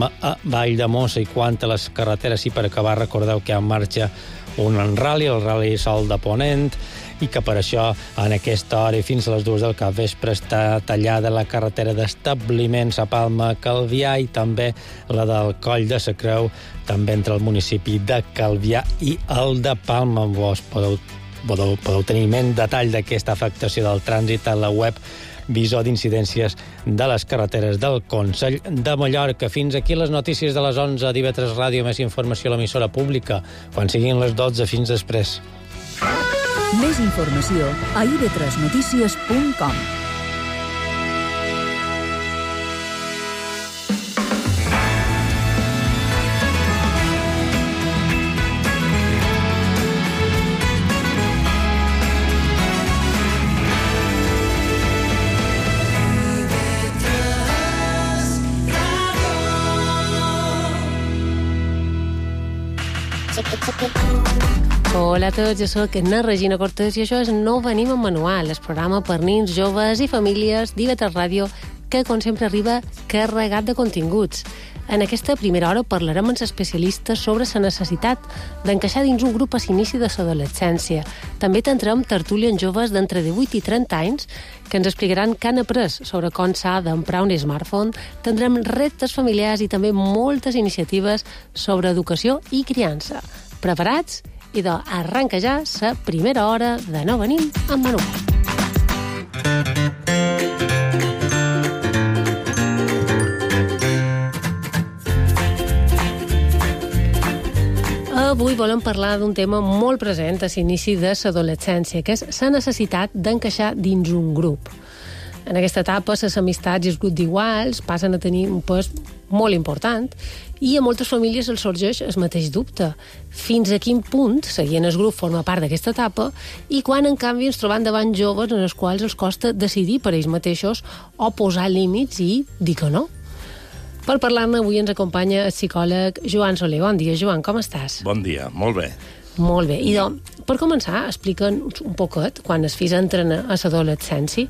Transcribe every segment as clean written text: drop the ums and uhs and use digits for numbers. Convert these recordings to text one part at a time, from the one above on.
Palma a Valldemossa, i quant a les carreteres, i per acabar recordeu que en marxa un rally, el Rally Sol de Ponent, i que per això en aquesta hora i fins a les 2 del capvespre està tallada la carretera d'establiments a Palma, Calvià, i també la del Coll de sa Creu, també entre el municipi de Calvià i el de Palma. Vos podeu tenir més detall d'aquesta afectació del trànsit a la web Visor d'incidències de les carreteres del Consell de Mallorca. Fins aquí les notícies de les 11 d'IV3 Ràdio. Més informació a l'emissora pública quan siguin les 12. Fins després. Més informació a ib3notícies.com. Hola a tots, jo soc Anna Regina Cortés i això és No Venim en Manual, el programa per nins, joves i famílies d'IV3 Ràdio que, com sempre, arriba carregat de continguts. En aquesta primera hora parlarem amb especialistes sobre la necessitat d'encaixar dins un grup a l'inici de l'adolescència. També tindrem tertúlia amb joves d'entre 18 i 30 anys que ens explicaran què han après sobre com s'ha d'emprar un smartphone. Tindrem reptes familiars i també moltes iniciatives sobre educació i criança. Preparats? Idò, arranca ja la primera hora de No Venim en Manual. Avui volem parlar d'un tema molt present a l'inici de l'adolescència, que és la necessitat d'encaixar dins un grup. En aquesta etapa, les amistats i els grups d'iguals passen a tenir un pes molt important i a moltes famílies els sorgeix el mateix dubte. Fins a quin punt seguint el grup forma part d'aquesta etapa i quan, en canvi, ens trobem davant joves en els quals els costa decidir per ells mateixos o posar límits i dir que no. Per parlar-ne, avui ens acompanya el psicòleg Joan Soler. Bon dia, Joan, com estàs? Bon dia, molt bé. Molt bé. I per començar, explica'ns un poquet, quan els fills entren a l'adolescència,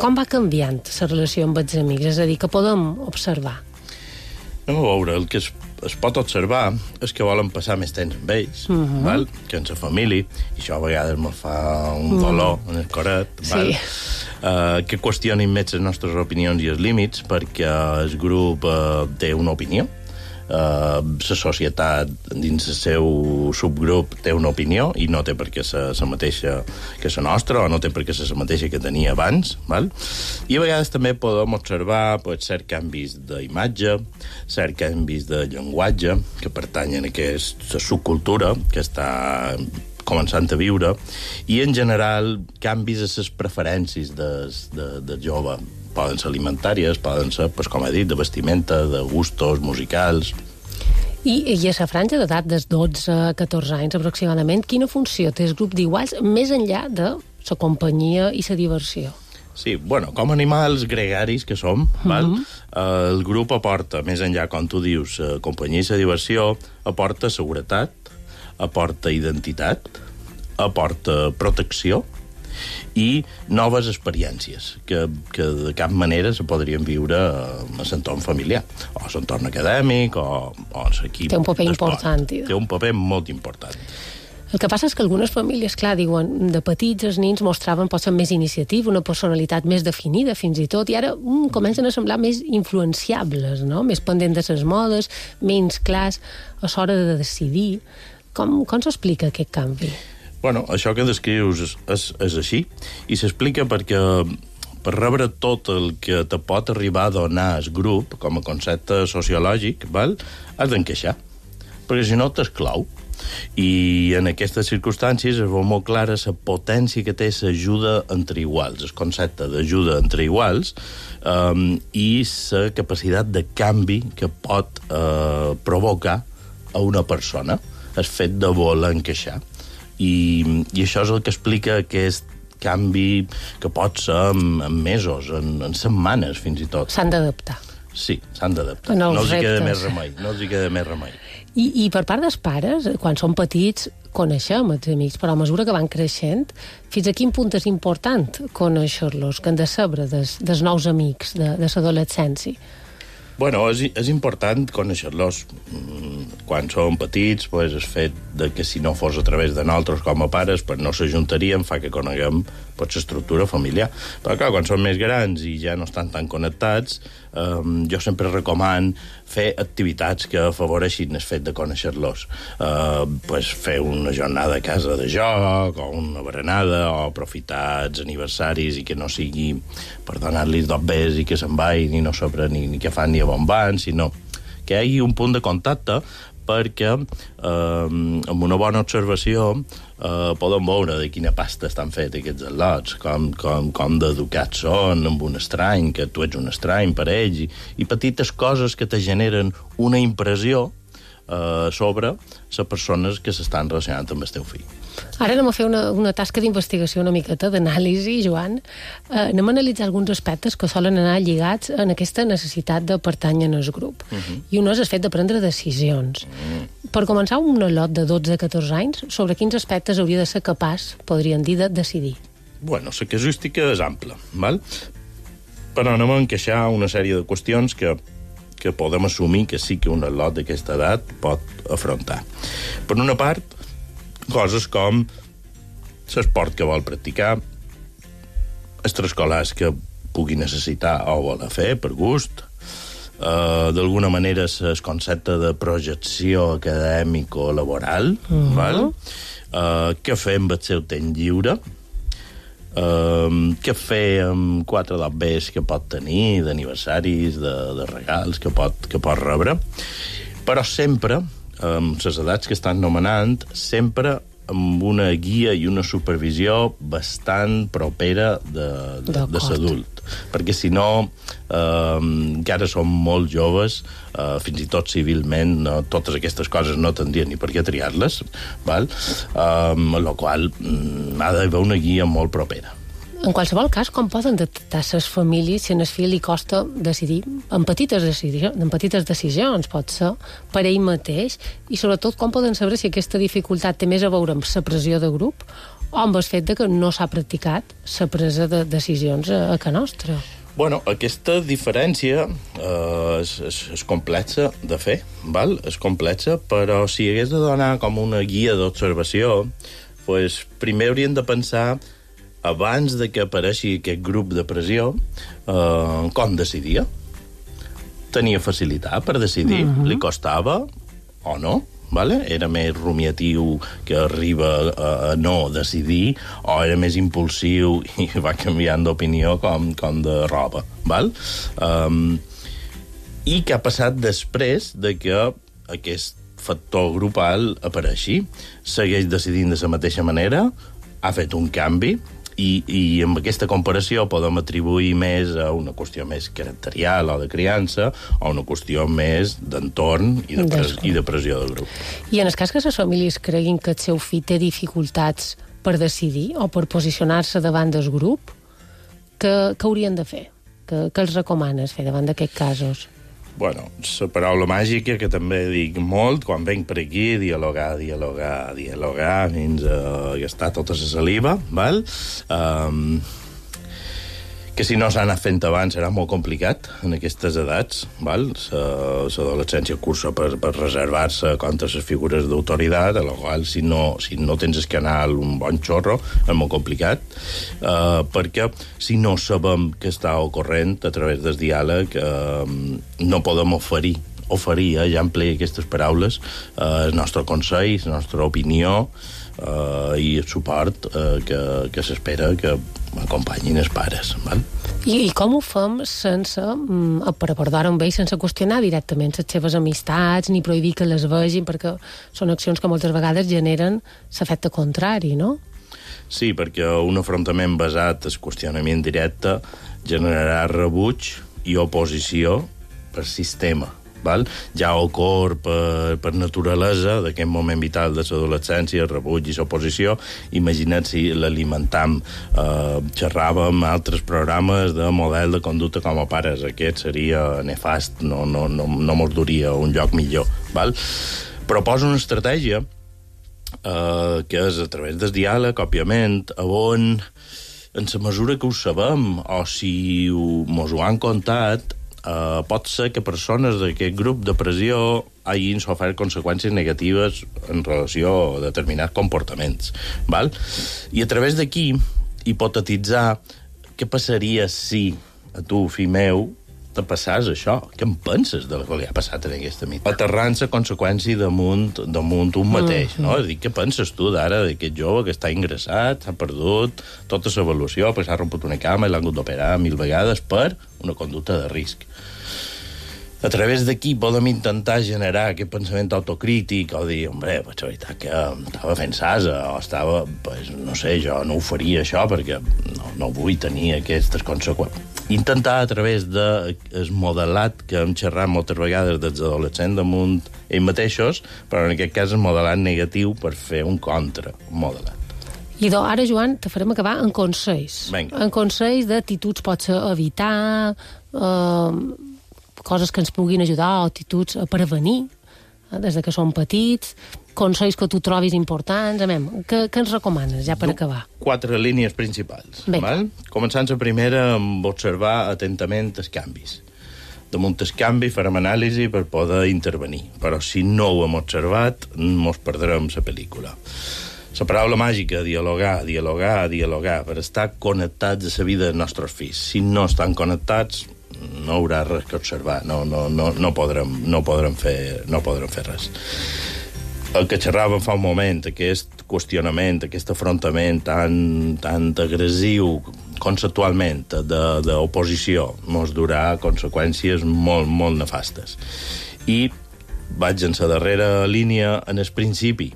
com va canviant la relació amb els amics? És a dir, que podem observar? Anem a veure, el que es pot observar és que volen passar més temps amb ells, val? Que en la família, i això a vegades me fa un dolor en el coret, val? Que qüestionin més les nostres opinions i els límits, perquè el grup té una opinió, la societat dins el seu subgrup té una opinió i no té per què ser la mateixa que la nostra o no té per què ser la mateixa que tenia abans, val? I a vegades també podem observar cert canvis d'imatge, cert canvis de llenguatge que pertanyen a aquesta subcultura que està començant a viure, i en general canvis a les preferències del jove. Poden ser alimentàries, poden ser, com he dit, de vestimenta, de gustos musicals. I a la franja d'edat dels 12 a 14 anys aproximadament, quina funció té el grup d'iguals més enllà de la companyia i la diversió? Sí, bueno, com animals gregaris que som, val? El grup aporta, més enllà, com tu dius, companyia i la diversió, aporta seguretat, aporta identitat, aporta protecció i noves experiències que de cap manera se podrien viure a l'entorn familiar, o a l'entorn acadèmic, o a l'equip. Té un paper important. Té un paper molt important. El que passa és que algunes famílies, clar, diuen, de petits els nins mostraven potser més iniciativa, una personalitat més definida fins i tot, i ara comencen a semblar més influenciables, no? Més pendents de les modes, menys clars a l'hora de decidir. Com s'explica aquest canvi? Bueno, això que descrius és així, i s'explica perquè per rebre tot el que te pot arribar a donar el grup com a concepte sociològic, val? Has d'encaixar, perquè si no t'exclou. I en aquestes circumstàncies es veu molt clara la potència que té l'ajuda entre iguals, el concepte d'ajuda entre iguals, i la capacitat de canvi que pot provocar a una persona, el fet de voler encaixar. I això és el que explica aquest canvi que pot ser en mesos, en setmanes fins i tot. S'han d'adaptar. Sí, s'han d'adaptar. No els hi queda més remei. I per part dels pares, quan són petits, coneixem els amics, però a mesura que van creixent, fins a quin punt és important conèixer-los, que han de saber dels nous amics de l'adolescència? Bueno, és important conèixer-los. Quan som petits, pues, el fet de que si no fos a través de nosaltres com a pares, pues, no s'ajuntaríem, fa que coneguem l'estructura familiar. Però clar, quan som més grans i ja no estan tan connectats, jo sempre recoman fer activitats que afavoreixin el fet de conèixer-los. Pues, fer una jornada a casa de joc, o una berenada, o aprofitar els aniversaris i que no sigui per donar-los dos bes i que se'n vagin i no saber ni què fan ni a on van, sinó que hi hagi un punt de contacte perquè amb una bona observació poden veure de quina pasta estan fets aquests al·lots, com d'educats són amb un estrany, que tu ets un estrany per ells, i petites coses que te generen una impressió sobre les persones que s'estan relacionant amb el teu fill. Ara anem a fer una tasca d'investigació una miqueta, d'anàlisi, Joan. Anem a analitzar alguns aspectes que solen anar lligats en aquesta necessitat de pertànyer en el grup. I un és el fet de prendre decisions. Per començar, un al·lot de 12-14 anys, sobre quins aspectes hauria de ser capaç, podríem dir, de decidir? Bueno, la casuística és ampla, val? Però anem a encaixar una sèrie de qüestions que podem assumir que sí que un al·lot d'aquesta edat pot afrontar. Per una part, coses com l'esport que vol practicar, extraescolars que pugui necessitar o voler fer per gust, d'alguna manera el concepte de projecció acadèmic o laboral, val? Què fer amb el seu temps lliure, què fer amb 4 dobbers que pot tenir, d'aniversaris, de regals que pot rebre, però sempre, amb les edats que estan nomenant, sempre amb una guia i una supervisió bastant propera de l'adult. Perquè si no, encara som molt joves, fins i tot civilment, totes aquestes coses no tindrien ni per què triar-les, val? Amb la qual ha d'haver una guia molt propera. En qualsevol cas, com poden detectar les famílies si en el fill li costa decidir en petites decisions, pot ser, per ell mateix, i sobretot com poden saber si aquesta dificultat té més a veure amb la pressió de grup o amb el fet de que no s'ha practicat la presa de decisions a casa nostra? Bueno, aquesta diferència és complexa de fer, val? És complexa, però si hagués de donar com una guia d'observació, pues, primer hauríem de pensar, abans de que apareixi aquest grup de pressió, com decidia. Tenia facilitat per decidir, li costava o no, vale? Era més rumiatiu que arriba a no decidir, o era més impulsiu i va canviant d'opinió com de roba, val? I què ha passat després de que aquest factor grupal apareixi? Segueix decidint de la mateixa manera? Ha fet un canvi? I amb aquesta comparació podem atribuir més a una qüestió més caracterial o de criança o una qüestió més d'entorn i de pressió de grup. I en el cas que les famílies creguin que el seu fill té dificultats per decidir o per posicionar-se davant del grup, què haurien de fer? Què els recomanes fer davant d'aquests casos? Bueno, la paraula màgica que també dic molt quan venc per aquí, dialogar fins a gastar tota la saliva, val? Que si no s'ha anat fent abans serà molt complicat en aquestes edats, val? L'adolescència cursa per reservar-se contra les figures d'autoritat, a la qual si no tens el canal un bon xorro és molt complicat, perquè si no sabem què està ocorrent a través del diàleg no podem oferir, ja empleï aquestes paraules, el nostre consell, la nostra opinió i el suport que s'espera que acompanyin els pares. Val? I com ho fem sense, per abordar-ho amb ells, sense qüestionar directament les seves amistats ni prohibir que les vegin, perquè són accions que moltes vegades generen l'efecte contrari, no? Sí, perquè un afrontament basat en qüestionament directe generarà rebuig i oposició per sistema. Val? Ja ocorre per naturalesa d'aquest moment vital de l'adolescència, el rebuig i l'oposició. Imagina't si l'alimentam. Xerràvem altres programes de model de conducta com a pares. Aquest seria nefast, no mos duria un lloc millor. Val? Proposa una estratègia que és a través del diàleg, òbviament, on en la mesura que ho sabem o si mos ho han contat, pot ser que persones d'aquest grup de pressió hagin sofert conseqüències negatives en relació a determinats comportaments. Val? I a través d'aquí, hipotetitzar què passaria si a tu, fill meu, te passàs això. Què en penses de que li ha passat en aquesta mitja? Aterrant-se conseqüència damunt un mateix, no? És a dir, què penses tu d'ara d'aquest jove que està ingressat, s'ha perdut tota l'avaluació, perquè s'ha romput una cama i l'han hagut d'operar 1000 vegades per una conducta de risc. A través d'aquí podem intentar generar aquest pensament autocrític o dir, hombre, pues la veritat que estava fent sasa o estava, pues, no sé, jo no ho faria això perquè no vull tenir aquestes conseqüències. Intentar a través del modelat que hem xerrat moltes vegades dels adolescents damunt ells mateixos, però en aquest cas el modelat negatiu per fer un contramodelat. I ara, Joan, te farem acabar en consells. Vinga. En consells d'actituds potser a evitar, coses que ens puguin ajudar, o actituds a prevenir, des de que som petits, consells que tu trobis importants. Què ens recomanes, ja per acabar? 4 línies principals. Val? Començant la primera amb observar atentament els canvis. Damunt el canvi farem anàlisi per poder intervenir, però si no ho hem observat, mos perdrem la pel·lícula. La paraula màgica, dialogar, per estar connectats a la vida dels nostres fills. Si no estan connectats, no haurà res que observar, no podrem fer res. El que xerràvem fa un moment, aquest qüestionament, aquest afrontament tan agressiu conceptualment d'oposició, mos durà conseqüències molt, molt nefastes. I vaig en la darrera línia, en el principi,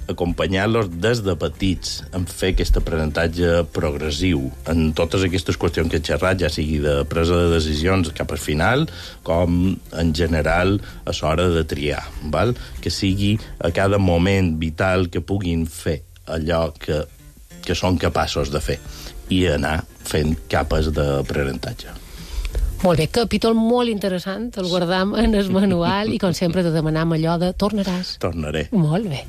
acompanyar-los des de petits en fer aquest aprenentatge progressiu en totes aquestes qüestions que he xerrat, ja sigui de presa de decisions cap al final, com en general a l'hora de triar, val? Que sigui a cada moment vital que puguin fer allò que són capaços de fer i anar fent capes d'aprenentatge. Molt bé, capítol molt interessant, el guardam en el manual i com sempre te demanam allò de tornaràs. Tornaré. Molt bé.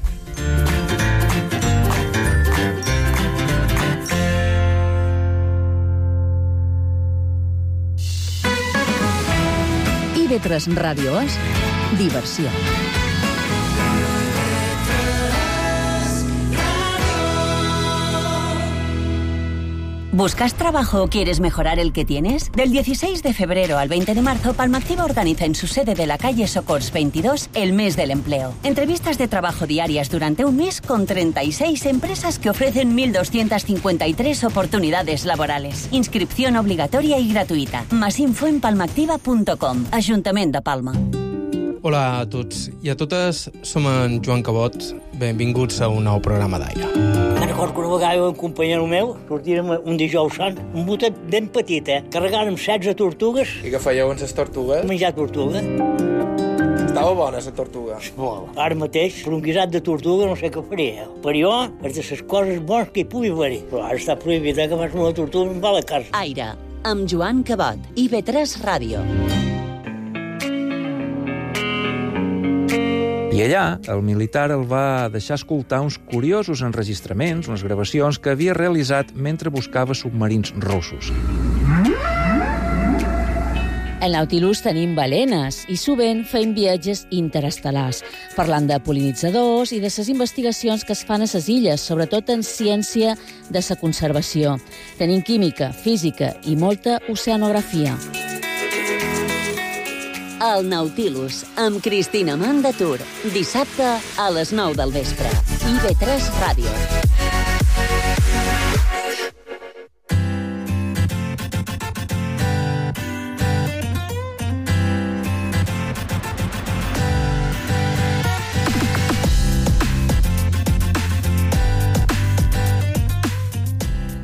IB3 Ràdio és diversió. ¿Buscas trabajo o quieres mejorar el que tienes? Del 16 de febrero al 20 de marzo, Palmactiva organiza en su sede de la calle Socors 22 el mes del empleo. Entrevistas de trabajo diarias durante un mes con 36 empresas que ofrecen 1.253 oportunidades laborales. Inscripción obligatoria y gratuïta. Más info en palmactiva.com. Ajuntament de Palma. Hola a tots i a totes, som en Joan Cabot. Benvinguts a un nou programa d'Aire. Me'n recordo que una vegada un companyero meu sortirem un dijous sant, un botet ben petit, carregàrem 16 tortugues. I què fèieu amb les tortugues? Menjar tortuga. Estava bona, la tortuga. Molt. Ara mateix, per un guisat de tortuga no sé què faria. Per jo, és de les coses bones que hi pugui haver-hi. Però ara està prohibit que fas una tortuga i em va a la casa. Aire, amb Joan Cabot, IB3 Ràdio. I allà, el militar el va deixar escoltar uns curiosos enregistraments, unes gravacions que havia realitzat mentre buscava submarins russos. Al Nautilus tenim balenes i sovint fem viatges interestel·lars, parlant de pol·linitzadors i de les investigacions que es fan a les illes, sobretot en ciència de la conservació. Tenim química, física i molta oceanografia. El Nautilus, amb Cristina Mandatur. Dissabte a les 9 del vespre. IB3 Ràdio.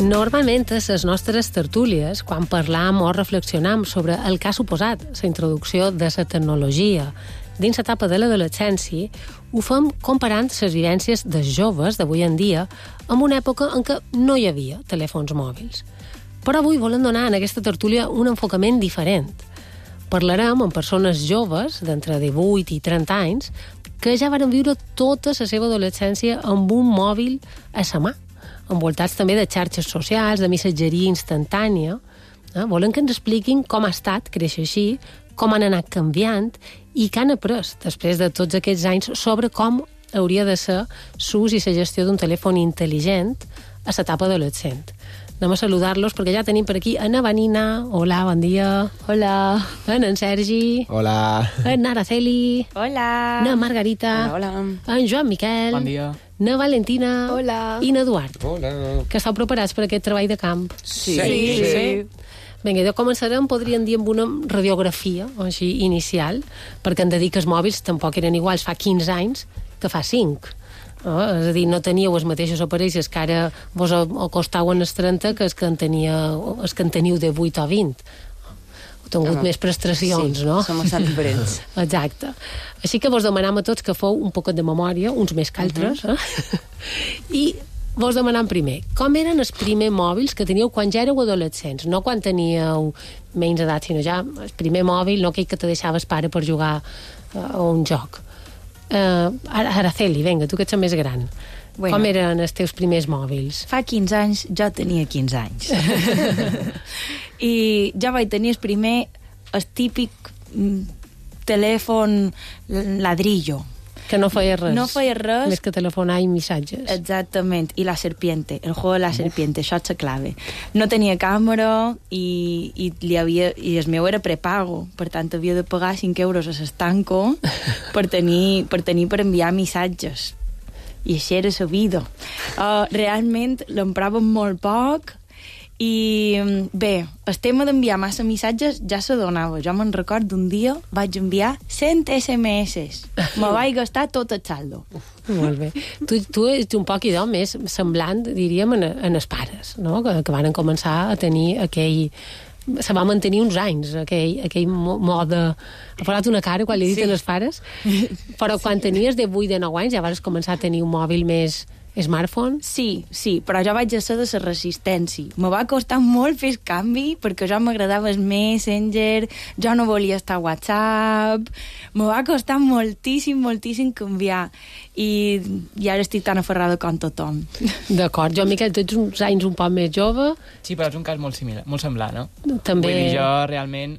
Normalment, a les nostres tertúlies, quan parlam o reflexionam sobre el que ha suposat la introducció de la tecnologia dins l'etapa de l'adolescència, ho fem comparant les vivències dels joves d'avui en dia amb una època en què no hi havia telèfons mòbils. Però avui volem donar en aquesta tertúlia un enfocament diferent. Parlarem amb persones joves, d'entre 18 i 30 anys, que ja varen viure tota la seva adolescència amb un mòbil a la mà, envoltats també de xarxes socials, de missatgeria instantània, Volen que ens expliquin com ha estat créixer així, com han anat canviant i què han après després de tots aquests anys sobre com hauria de ser l'ús i la gestió d'un telèfon intel·ligent a l'etapa adolescent. Anem a saludar-los perquè ja tenim per aquí Ana Vanina. Hola, bon dia. Hola. En Sergi. Hola. En Araceli. Hola. Na Margarita. Hola. En Joan Miquel. Bon dia. Na Valentina. Hola. I na Eduard. Hola. Que esteu preparats per aquest treball de camp? Sí. Vinga, començarem, podríem dir, amb una radiografia així inicial, perquè hem de dir que els mòbils tampoc eren iguals fa 15 anys que fa 5. És a dir, no teníeu els mateixos aparells que ara vos acostaven els 30 que els que en teniu de 8 o 20. Heu tingut més prestacions, no? Som bastant diferents. Exacte. Així que vos demanam a tots que feu un poquet de memòria, uns més que altres, I vos demanam primer, com eren els primers mòbils que teníeu quan ja éreu adolescents? No quan teníeu menys edat, sinó ja el primer mòbil, no aquell que te deixaves pare per jugar a un joc. Araceli, vinga, tu que ets més gran. Com eren els teus primers mòbils? Fa 15 anys jo tenia 15 anys. I ja vaig tenir el típic telèfon ladrillo. Que no feia res. No feia res. Més que telefonar i missatges. Exactament. I la serpiente, el juego de la serpiente, això és la clave. No tenia càmera i el meu era prepago, per tant havia de pagar 5 euros a l'estanco per enviar missatges. I això era la vida. Realment l'empràvem molt poc i bé, el tema d'enviar massa missatges ja se donava. Jo me'n record d'un dia vaig enviar 100 SMS. Me vaig gastar tot el saldo. Molt bé. Tu ets un poc idò més semblant, diríem, en els pares, no? Que van començar a tenir aquell... Se va mantenir uns anys, aquell mode... Ha posat una cara quan li he dit als pares, però quan tenies de 8 de 9 anys ja vas començar a tenir un mòbil més... smartphone? Sí, però jo vaig ser de la resistència. Me va costar molt fer el canvi perquè jo m'agradava el Messenger, jo no volia estar a WhatsApp, me va costar moltíssim canviar i ara estic tan aferrada com tothom. D'acord. Jo, Miquel, tu ets uns anys un poc més jove. Sí, però és un cas molt similar, molt semblant, no? També... Vull dir, jo realment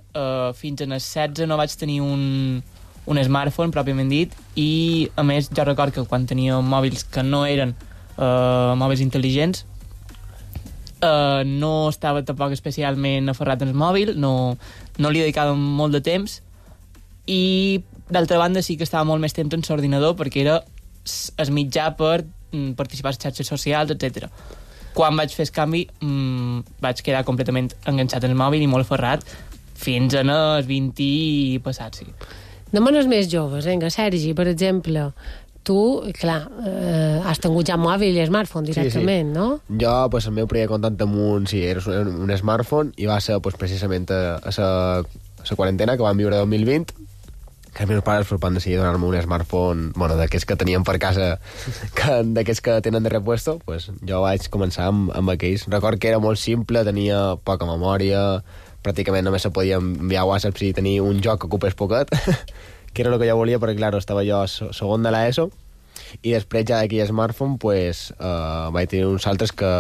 fins als 16 no vaig tenir un smartphone, pròpiament dit, i a més jo record que quan tenia mòbils que no eren mòbils intel·ligents no estava tampoc especialment aferrat al mòbil, no li dedicava molt de temps i d'altra banda sí que estava molt més temps en l'ordinador perquè era el mitjà per participar a les xarxes socials, etc. Quan vaig fer el canvi vaig quedar completament enganxat en el mòbil i molt aferrat fins als 20 i passats, sí. Anem als més joves, vinga, Sergi, per exemple, tu, clar, has tingut ja mòbil i smartphone directament, no? Jo, el meu primer contacte amb era un smartphone i va ser precisament a la quarantena que vam viure 2020, que els meus pares van decidir donar-me un smartphone, d'aquests que teníem per casa, d'aquests que tenen de repuesto, jo vaig començar amb aquells. Record que era molt simple, tenia poca memòria, pràcticament només se podia enviar WhatsApp si tenia un joc que ocupés poquet, que era el que jo volia, perquè, clar, estava jo segon de l'ESO, i després ja d'aquell smartphone vaig tenir uns altres que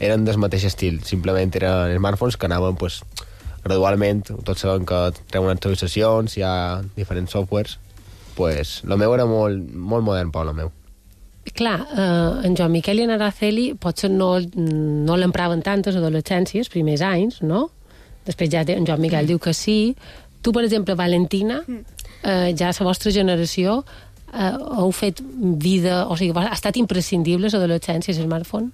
eren del mateix estil, simplement eren smartphones que anaven gradualment, tots sabem que treuen actualitzacions, hi ha diferents softwares, el meu era molt modern, Pau, el meu. Clar, en Joan Miquel i en Araceli potser no l'empraven tant a l'adolescència, els primers anys, no? Després ja en Joan Miquel diu que sí. Tu, per exemple, Valentina, ja a la vostra generació heu fet vida, o sigui, ha estat imprescindible l'adolescència i el smartphone?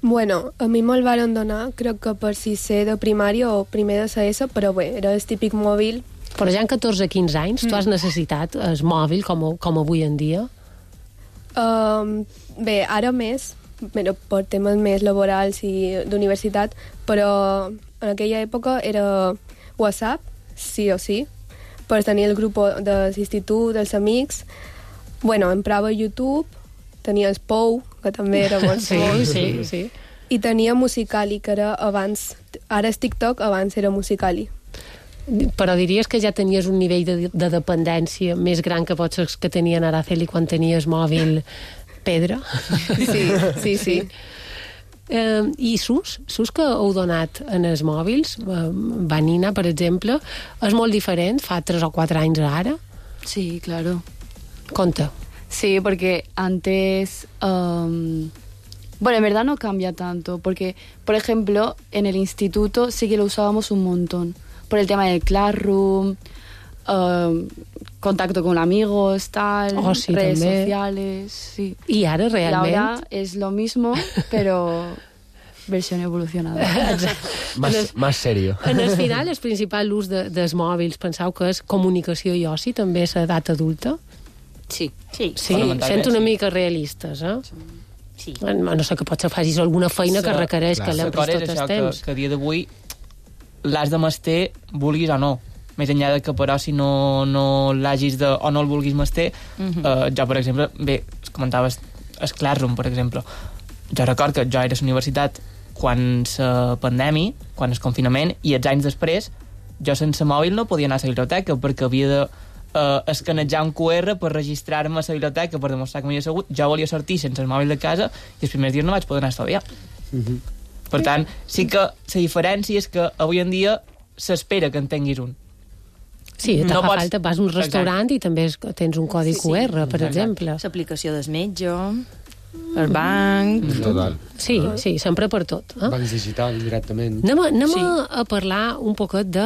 Bueno, a mi me'l varen donar, crec que per sisè de primària o primer de CS, però bé, era el típic mòbil. Però ja en 14-15 anys tu has necessitat el mòbil com avui en dia? Bé, ara més, per temes més laborals i d'universitat, però en aquella època era WhatsApp, sí o sí, per tenir el grup de l'institut, dels amics. Bueno, emprava YouTube, tenia el Pou, que també era molt sí. I tenia Musicali, que era abans, ara és TikTok, abans era Musicali. Però diries que ja tenies un nivell de dependència més gran que potser que tenien Araceli quan tenies mòbil pedra? Sí. I SUS que heu donat en els mòbils, Vanina, per exemple, és molt diferent fa 3 o 4 anys a ara? Sí, claro. Conta. Sí, porque antes... bueno, en verdad no cambia tanto, porque, por ejemplo, en el instituto sí que lo usábamos un montón, por el tema del Classroom, contacto con amigos, tal, sí, redes també. sociales, sí. I ara realment... Y ahora es lo mismo, pero versión evolucionada. Más serio. En el final, el principal ús dels mòbils, penseu que és comunicació i oci, també és l'edat adulta? Sí. Sí, sent una mica realistes, eh? Sí. No sé, que potser facis alguna feina que requereix que l'empris tot el temps. Que a dia d'avui l'has de mester, vulguis o no. Més enllà de que, però, si no l'hagis de... o no el vulguis mester, jo, per exemple, bé, comentaves el Classroom, per exemple. Jo record que jo era a la universitat quan la pandèmia, quan el confinament, i els anys després, jo sense mòbil no podia anar a la biblioteca, perquè havia de escanejar un QR per registrar-me a la biblioteca, per demostrar que m'havia assegut. Jo volia sortir sense el mòbil de casa i els primers dies no vaig poder anar a estudiar. Per tant, sí que la diferència és que avui en dia s'espera que en tinguis un. Sí, no fa falta, vas a un restaurant i també tens un codi QR, per exemple. L'aplicació del metge, el banc... Total. Sí, sempre per tot. Bancs digital, directament. Anem a parlar un poquet de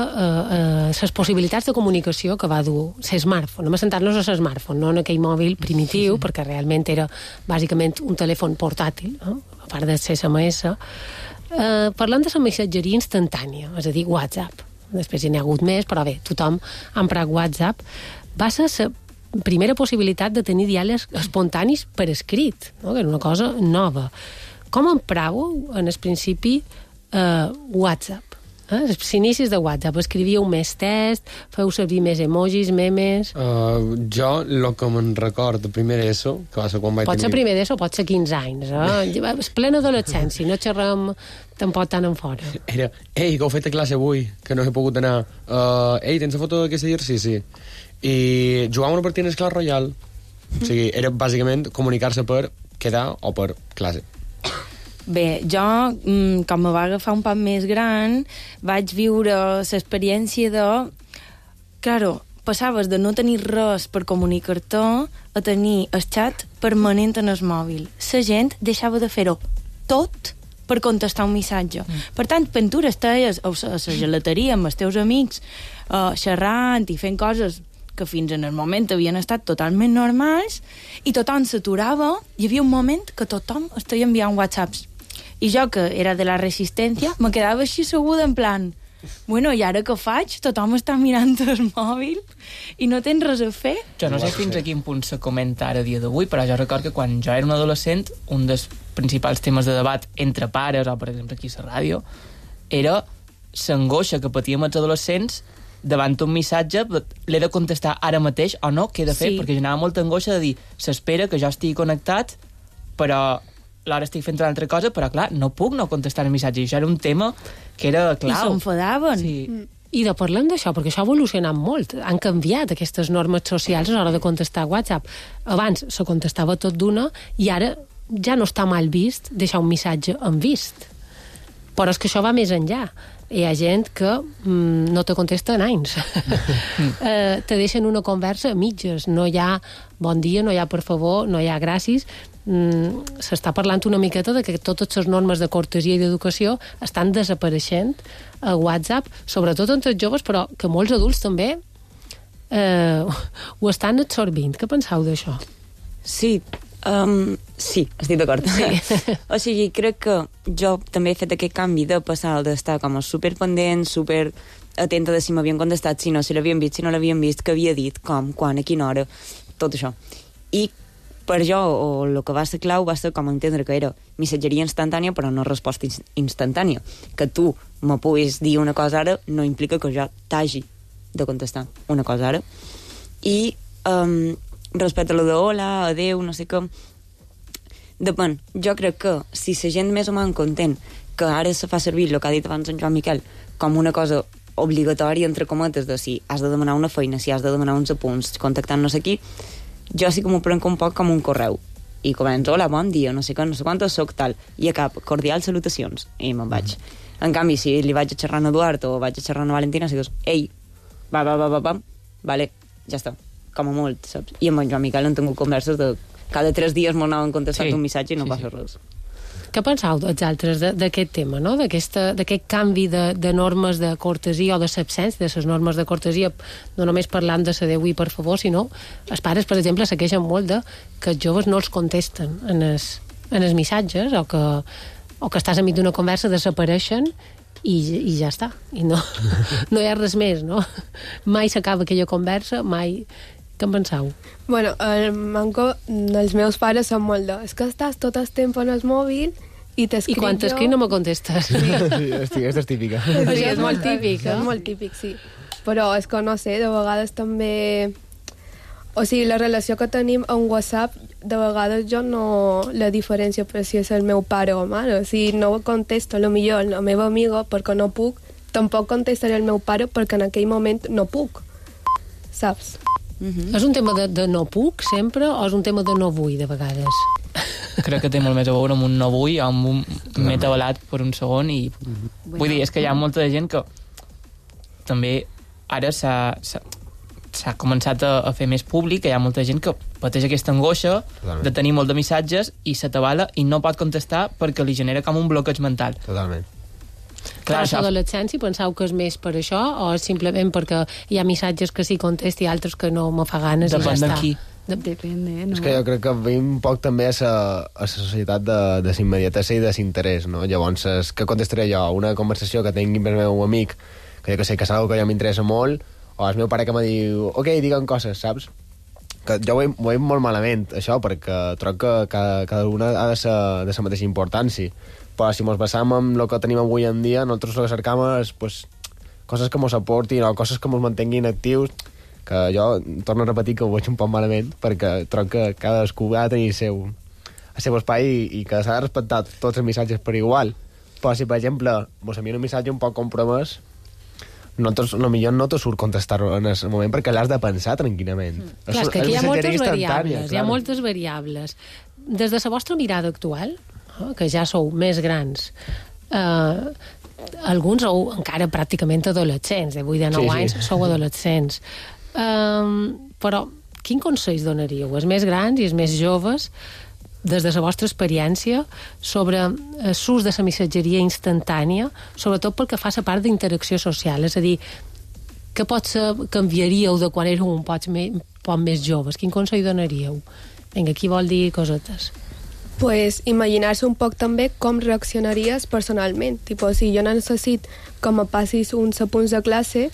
les possibilitats de comunicació que va dur l'smartphone. Anem a sentar-nos a l'smartphone, no en aquell mòbil primitiu, perquè realment era bàsicament un telèfon portàtil, a part de SMS. Parlant de la missatgeria instantània, és a dir, WhatsApp. Després hi n'hi ha hagut més, però bé, tothom ha emprat WhatsApp. Va ser la primera possibilitat de tenir diàlegs espontanis per escrit, no? Que era una cosa nova. Com empràveu, en el principi, WhatsApp? Els inicis de WhatsApp, escrivíeu més text, feu servir més emojis, memes... Jo, el que me'n record de primer ESO, que va ser quan vaig tenir... Pot ser primer d'ESO, pot ser 15 anys, És plena adolescència, no xerrem tampoc tan en fora. Era, ei, que heu fet a classe avui, que no he pogut anar. Ei, tens la foto d'aquest exercici? I jugàvem una partida en el Clash Royale. O sigui, era bàsicament comunicar-se per quedar o per classe. Bé, jo, com me va agafar un poc més gran, vaig viure l'experiència de... Claro, passaves de no tenir res per comunicar-te a tenir el xat permanent en el mòbil. La gent deixava de fer-ho tot per contestar un missatge. Per tant, quan tu estàs a la gelateria amb els teus amics, xerrant i fent coses que fins en el moment havien estat totalment normals, i tothom s'aturava, hi havia un moment que tothom estava enviant whatsapps. I jo, que era de la resistència, me quedava així seguda en plan, bueno, i ara què faig? Tothom està mirant el mòbil i no tens res a fer? Jo no sé fins a quin punt se comenta ara a dia d'avui, però jo record que quan jo era un adolescent, un dels principals temes de debat entre pares, o per exemple aquí a la ràdio, era l'angoixa que patíem els adolescents davant un missatge, l'he de contestar ara mateix o no, què he de fer? Sí. Perquè generava molta angoixa de dir, s'espera que jo estigui connectat, però l'hora estic fent una altra cosa, però clar, no puc no contestar el missatge, i això era un tema que era clau. I s'enfadaven. Sí. I de parlem d'això, perquè això ha evolucionat molt, han canviat aquestes normes socials a l'hora de contestar WhatsApp. Abans se contestava tot d'una, i ara ja no està mal vist deixar un missatge en vist. Però és que això va més enllà. Hi ha gent que no te contesta en anys. Te deixen una conversa a mitges. No hi ha bon dia, no hi ha per favor, no hi ha gràcies. S'està parlant una miqueta de que totes les normes de cortesia i d'educació estan desapareixent a WhatsApp, sobretot entre els joves, però que molts adults també ho estan absorbint. Què penseu d'això? Sí, sí, estic d'acord. Sí. O sigui, crec que jo també he fet aquest canvi de passar d'estar com a superpendent, super atenta de si m'havien contestat, si no, si l'havien vist, si no l'havien vist, què havia dit, com, quan, a quina hora, tot això. I per jo, o el que va ser clau, va ser com entendre que era missatgeria instantània, però no resposta instantània. Que tu me puguis dir una cosa ara no implica que jo t'hagi de contestar una cosa ara. I respecte a lo de hola, adeu, no sé què, depèn. Jo crec que si la gent més o menys content que ara se fa servir el que ha dit abans en Joan Miquel com una cosa obligatòria, entre cometes, de si has de demanar una feina, si has de demanar uns apunts, contactant no sé qui, jo sí que m'ho prenc un poc com un correu. i començo, hola, bon dia, no sé què, no sé quantos, soc tal, i a cap, cordial salutacions, i me'n vaig. En canvi, si li vaig a xerrar a Eduard o vaig a xerrar a Valentina, si dius, ei, vale, ja està, com a molt, saps? I amb en Joan Miquel hem tingut converses de cada 3 dies m'anaven contestant un missatge i no passa res. Què penseu tots altres d'aquest tema, no? D'aquest canvi de normes de cortesia o de l'absència de les normes de cortesia, no només parlant de la Déu i per favor, sinó els pares, per exemple, se queixen molt que els joves no els contesten en els missatges o que estàs enmig d'una conversa, desapareixen i ja està. I no hi ha res més, no? Mai s'acaba aquella conversa, mai... Què en penseu? Bueno, el manco dels meus pares són molt és que estàs tot el temps en el mòbil i t'escric I quan t'escric no me contestes. Sí, és típica. Sí, és molt típic, És molt típic, sí. Però és que no sé, de vegades també... O sigui, la relació que tenim en WhatsApp, de vegades jo no la diferència per si és el meu pare o mare. Si no contesto, potser la meva amiga perquè no puc, tampoc contestaré el meu pare perquè en aquell moment no puc. Saps? És un tema de no puc sempre o és un tema de no vull de vegades? Crec que té molt més a veure amb un no vull, amb un m'he tabalat per un segon i... Vull dir, és que hi ha molta gent que també ara s'ha començat a fer més públic, que hi ha molta gent que pateix aquesta angoixa de tenir molt de missatges i s'atabala i no pot contestar perquè li genera com un bloqueig mental. Totalment. Clar, això d'adolescència, penseu que és més per això o és simplement perquè hi ha missatges que sí contesti i altres que no me fa ganes i ja està? Depende, no? És que jo crec que veiem un poc també a la societat de la immediatesa i de l'interès, no? Llavors, què contestaré jo? Una conversació que tingui amb el meu amic, que jo que sé, que és una que jo m'interessa molt, o el meu pare que me diu, ok, digue'm coses, saps? Que jo ho veig molt malament, això, perquè troc que cada una ha de ser de la mateixa importància. Però si ens basam en el que tenim avui en dia, nosaltres el que cercam és pues, coses que ens aportin o coses que ens mantinguin actius, que jo torno a repetir que ho veig un poc malament, perquè troc que cadascú ha de tenir el seu espai i que s'ha de respectar tots els missatges per igual. Però si, per exemple, vos envia un missatge un poc compromès, nosaltres potser no te surt contestar-ho en el moment perquè l'has de pensar tranquil·lament. Clar, és que aquí hi ha moltes variables, hi ha moltes variables. Des de la vostra mirada actual, que ja sou més grans, alguns sou encara pràcticament adolescents, de 8 a 9 anys sou adolescents. Però quin consell donaríeu als més grans i als més joves des de la vostra experiència sobre l'ús de la missatgeria instantània, sobretot pel que fa a la part d'interacció social? És a dir, què potser canviaríeu de quan éreu un poc més joves? Quin consell donaríeu? Vinga, qui vol dir cosetes? Pues imaginar-se un poc també com reaccionaries personalment. Tipo, si jo necessit que me passis uns apunts de classe,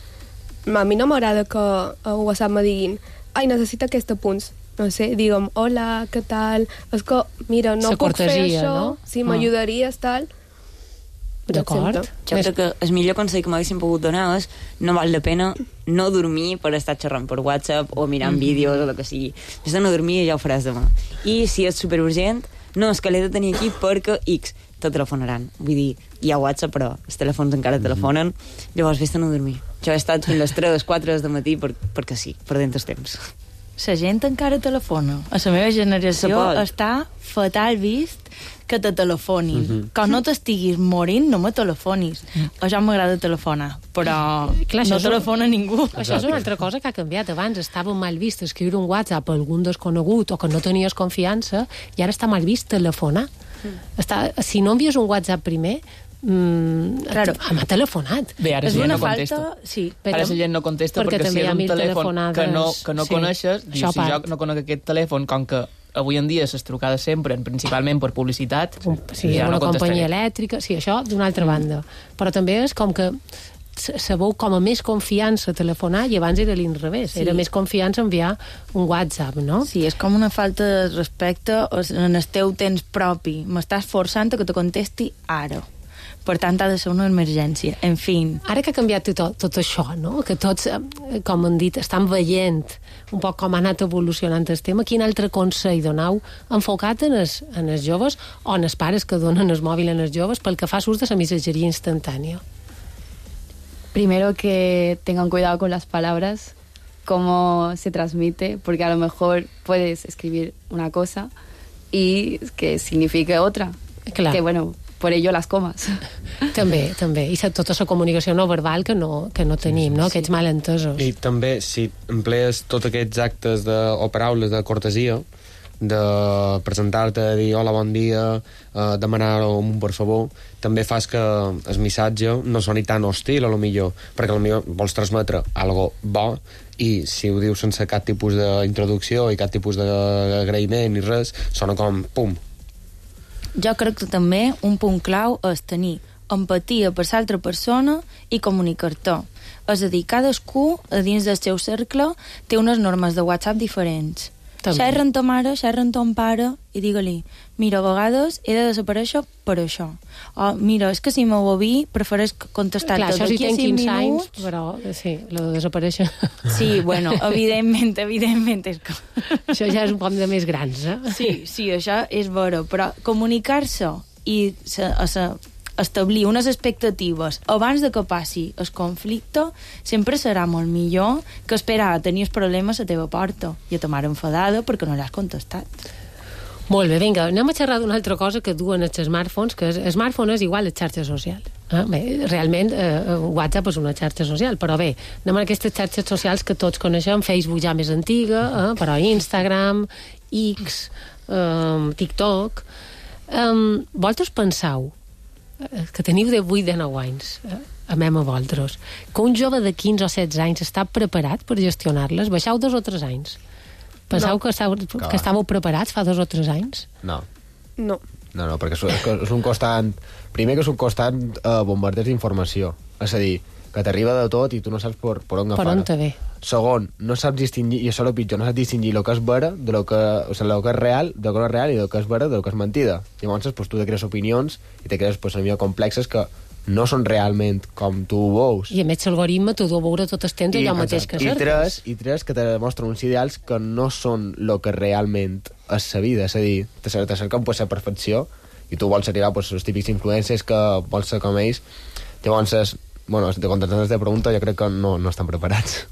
a mi no m'agrada que a WhatsApp me diguin ai, necessito aquests apunts. No sé, digue'm, hola, què tal? És que, mira, no puc fer això, no? Si m'ajudaries, tal... D'acord. Jo crec que el millor consell que m'haguessin pogut donar és no val la pena no dormir per estar xerrant per WhatsApp o mirant vídeos o el que sigui. Si no dormir ja ho faràs demà. I si és superurgent, no, és que l'he de tenir aquí perquè X te telefonaran. Vull dir, hi ha WhatsApp, però els telèfons encara telefonen, llavors vés-te a no dormir. Jo he estat fins a les 3 o 4 del matí perquè sí, perdent el temps. La gent encara telefona. A la meva generació està fatal vist que te telefonin. Quan no t'estiguis morint, no me telefonis. A jo m'agrada telefonar, però clar, no telefona ningú. Això és una altra cosa que ha canviat. Abans estava mal vist escriure un WhatsApp a algun desconegut o que no tenies confiança, i ara està mal vist telefonar. Si no envies un WhatsApp primer, m'ha telefonat. Bé, ara la gent no contesta. Sí, ara la gent no contesta perquè si és un telèfon que no coneixes, dius, si jo no conec aquest telèfon, com que avui en dia les trucades sempre, principalment per publicitat, sí, una companyia elèctrica, sí, això d'una altra banda. Però també és com que sabeu com a més confiança telefonar i abans era l'inrevés, era més confiança enviar un WhatsApp, no? Sí, és com una falta de respecte en el teu temps propi. M'estàs forçant a que te contesti ara. Per tant, ha de ser una emergència. En fi. Ara que ha canviat tot això, no? Que tots, com han dit, estan veient un poc com ha anat evolucionant el tema, quin altre consell donau enfocat en els joves o en els pares que donen el mòbil en els joves pel que fa ús de la missatgeria instantània? Primero que tengan cuidado con las palabras, cómo se transmite, porque a lo mejor puedes escribir una cosa y que significa otra. Clar. Que, bueno, por ello las comas. També. I tota la comunicació no verbal que no tenim, no? Aquests malentesos. I també, si emplees tots aquests actes o paraules de cortesia, de presentar-te, dir hola, bon dia, demanar un per favor, també fas que el missatge no soni tan hostil, a lo millor, perquè a lo millor vols transmetre algo bo, i si ho dius sense cap tipus d'introducció i cap tipus d'agraïment i res, sona com pum. Jo crec que també un punt clau és tenir empatia per l'altra persona i comunicar-te. És a dir, cadascú, a dins del seu cercle, té unes normes de WhatsApp diferents. Xerra amb ta mare, xerra amb ton pare i digue-li, mira, a vegades he de desaparèixer per això. O, mira, és que si m'ho vi, prefereix contestar-te d'aquí a 5 minuts. Anys, però sí, lo de desaparèixer. Sí, bueno, evidentment és que... Això ja és un poc de més grans, eh? Sí, això és vera, però comunicar-se i establir unes expectatives abans de que passi el conflicte sempre serà molt millor que esperar a tenir els problemes a la teva porta i a ta mare enfadada perquè no l'has contestat. Molt bé, vinga, anem a xerrar d'una altra cosa que duen els smartphones, que el smartphone és igual a xarxa social. Bé, realment WhatsApp és una xarxa social, però bé, anem a aquestes xarxes socials que tots coneixem, Facebook ja més antiga, però Instagram, X, TikTok... Vosaltres penseu que teniu de 8 de 9 anys, amem a vosaltres, que un jove de 15 o 16 anys està preparat per gestionar-les? Baixeu 2 o 3 anys. Penseu que estàveu preparats fa 2 o 3 anys? No. No, perquè és un constant... Primer que és un constant bombardeig d'informació. És a dir, que t'arriba de tot i tu no saps per on agafar. Per on te ve. Segon, no saps distingir, i això és el pitjor, no saps distingir el que és vera de lo que és real, de lo que no és real, i del que és vera de lo que és mentida. Llavors, pues, tu te crees opinions i te crees pues, millor complexes que no són realment com tu veus. I a més l'algoritme t'ho du a veure tot el temps allò mateix que cerques. I tres que te demostren uns ideals que no són el que realment és la vida. És a dir, te cerquen pues, la perfecció i tu vols arribar pues, als típics influencers que vols ser com ells. Llavors, bueno, de contestar aquesta pregunta, jo crec que no estan preparats.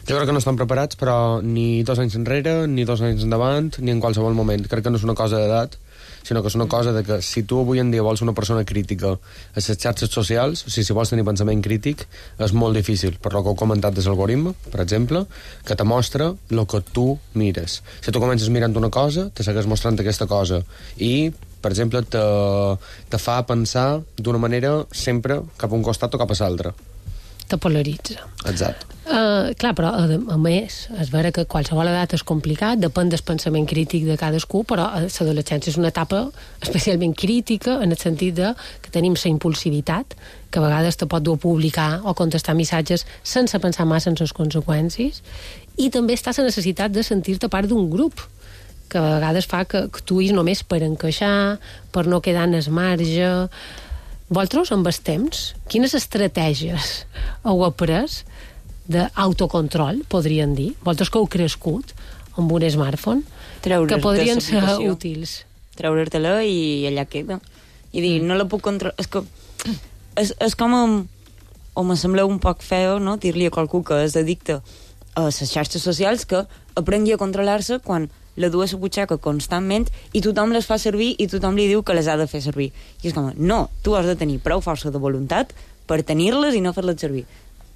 Jo crec que no estan preparats, però ni 2 anys enrere, ni 2 anys endavant, ni en qualsevol moment. Crec que no és una cosa d'edat, sinó que és una cosa de que si tu avui en dia vols una persona crítica a les xarxes socials, o sigui, si vols tenir pensament crític, és molt difícil, per lo que heu comentat des l'algoritme, per exemple, que te mostra el que tu mires. Si tu comences mirant una cosa, te segueix mostrant aquesta cosa, i per exemple, te fa pensar d'una manera sempre cap a un costat o cap a l'altre. Te polaritza. Exacte. Clar, però a més, és vera que qualsevol edat és complicat, depèn del pensament crític de cadascú, però l'adolescència és una etapa especialment crítica en el sentit de que tenim la impulsivitat, que a vegades te pot dur a publicar o contestar missatges sense pensar massa en les conseqüències, i també està la necessitat de sentir-te part d'un grup, que a vegades fa que actuïs només per encaixar, per no quedar en el marge. Vosaltres, amb el temps, quines estratègies heu après d'autocontrol, podríem dir? Vosaltres que heu crescut amb un smartphone, que podrien ser útils. Treure-te-la i allà queda. I dir, no la puc controlar... És com... O me sembla un poc feo, no?, dir-li a qualcú que és addicte a les xarxes socials que aprengui a controlar-se quan la du a la butxaca constantment i tothom les fa servir i tothom li diu que les ha de fer servir. I és com, no, tu has de tenir prou força de voluntat per tenir-les i no fer-les servir.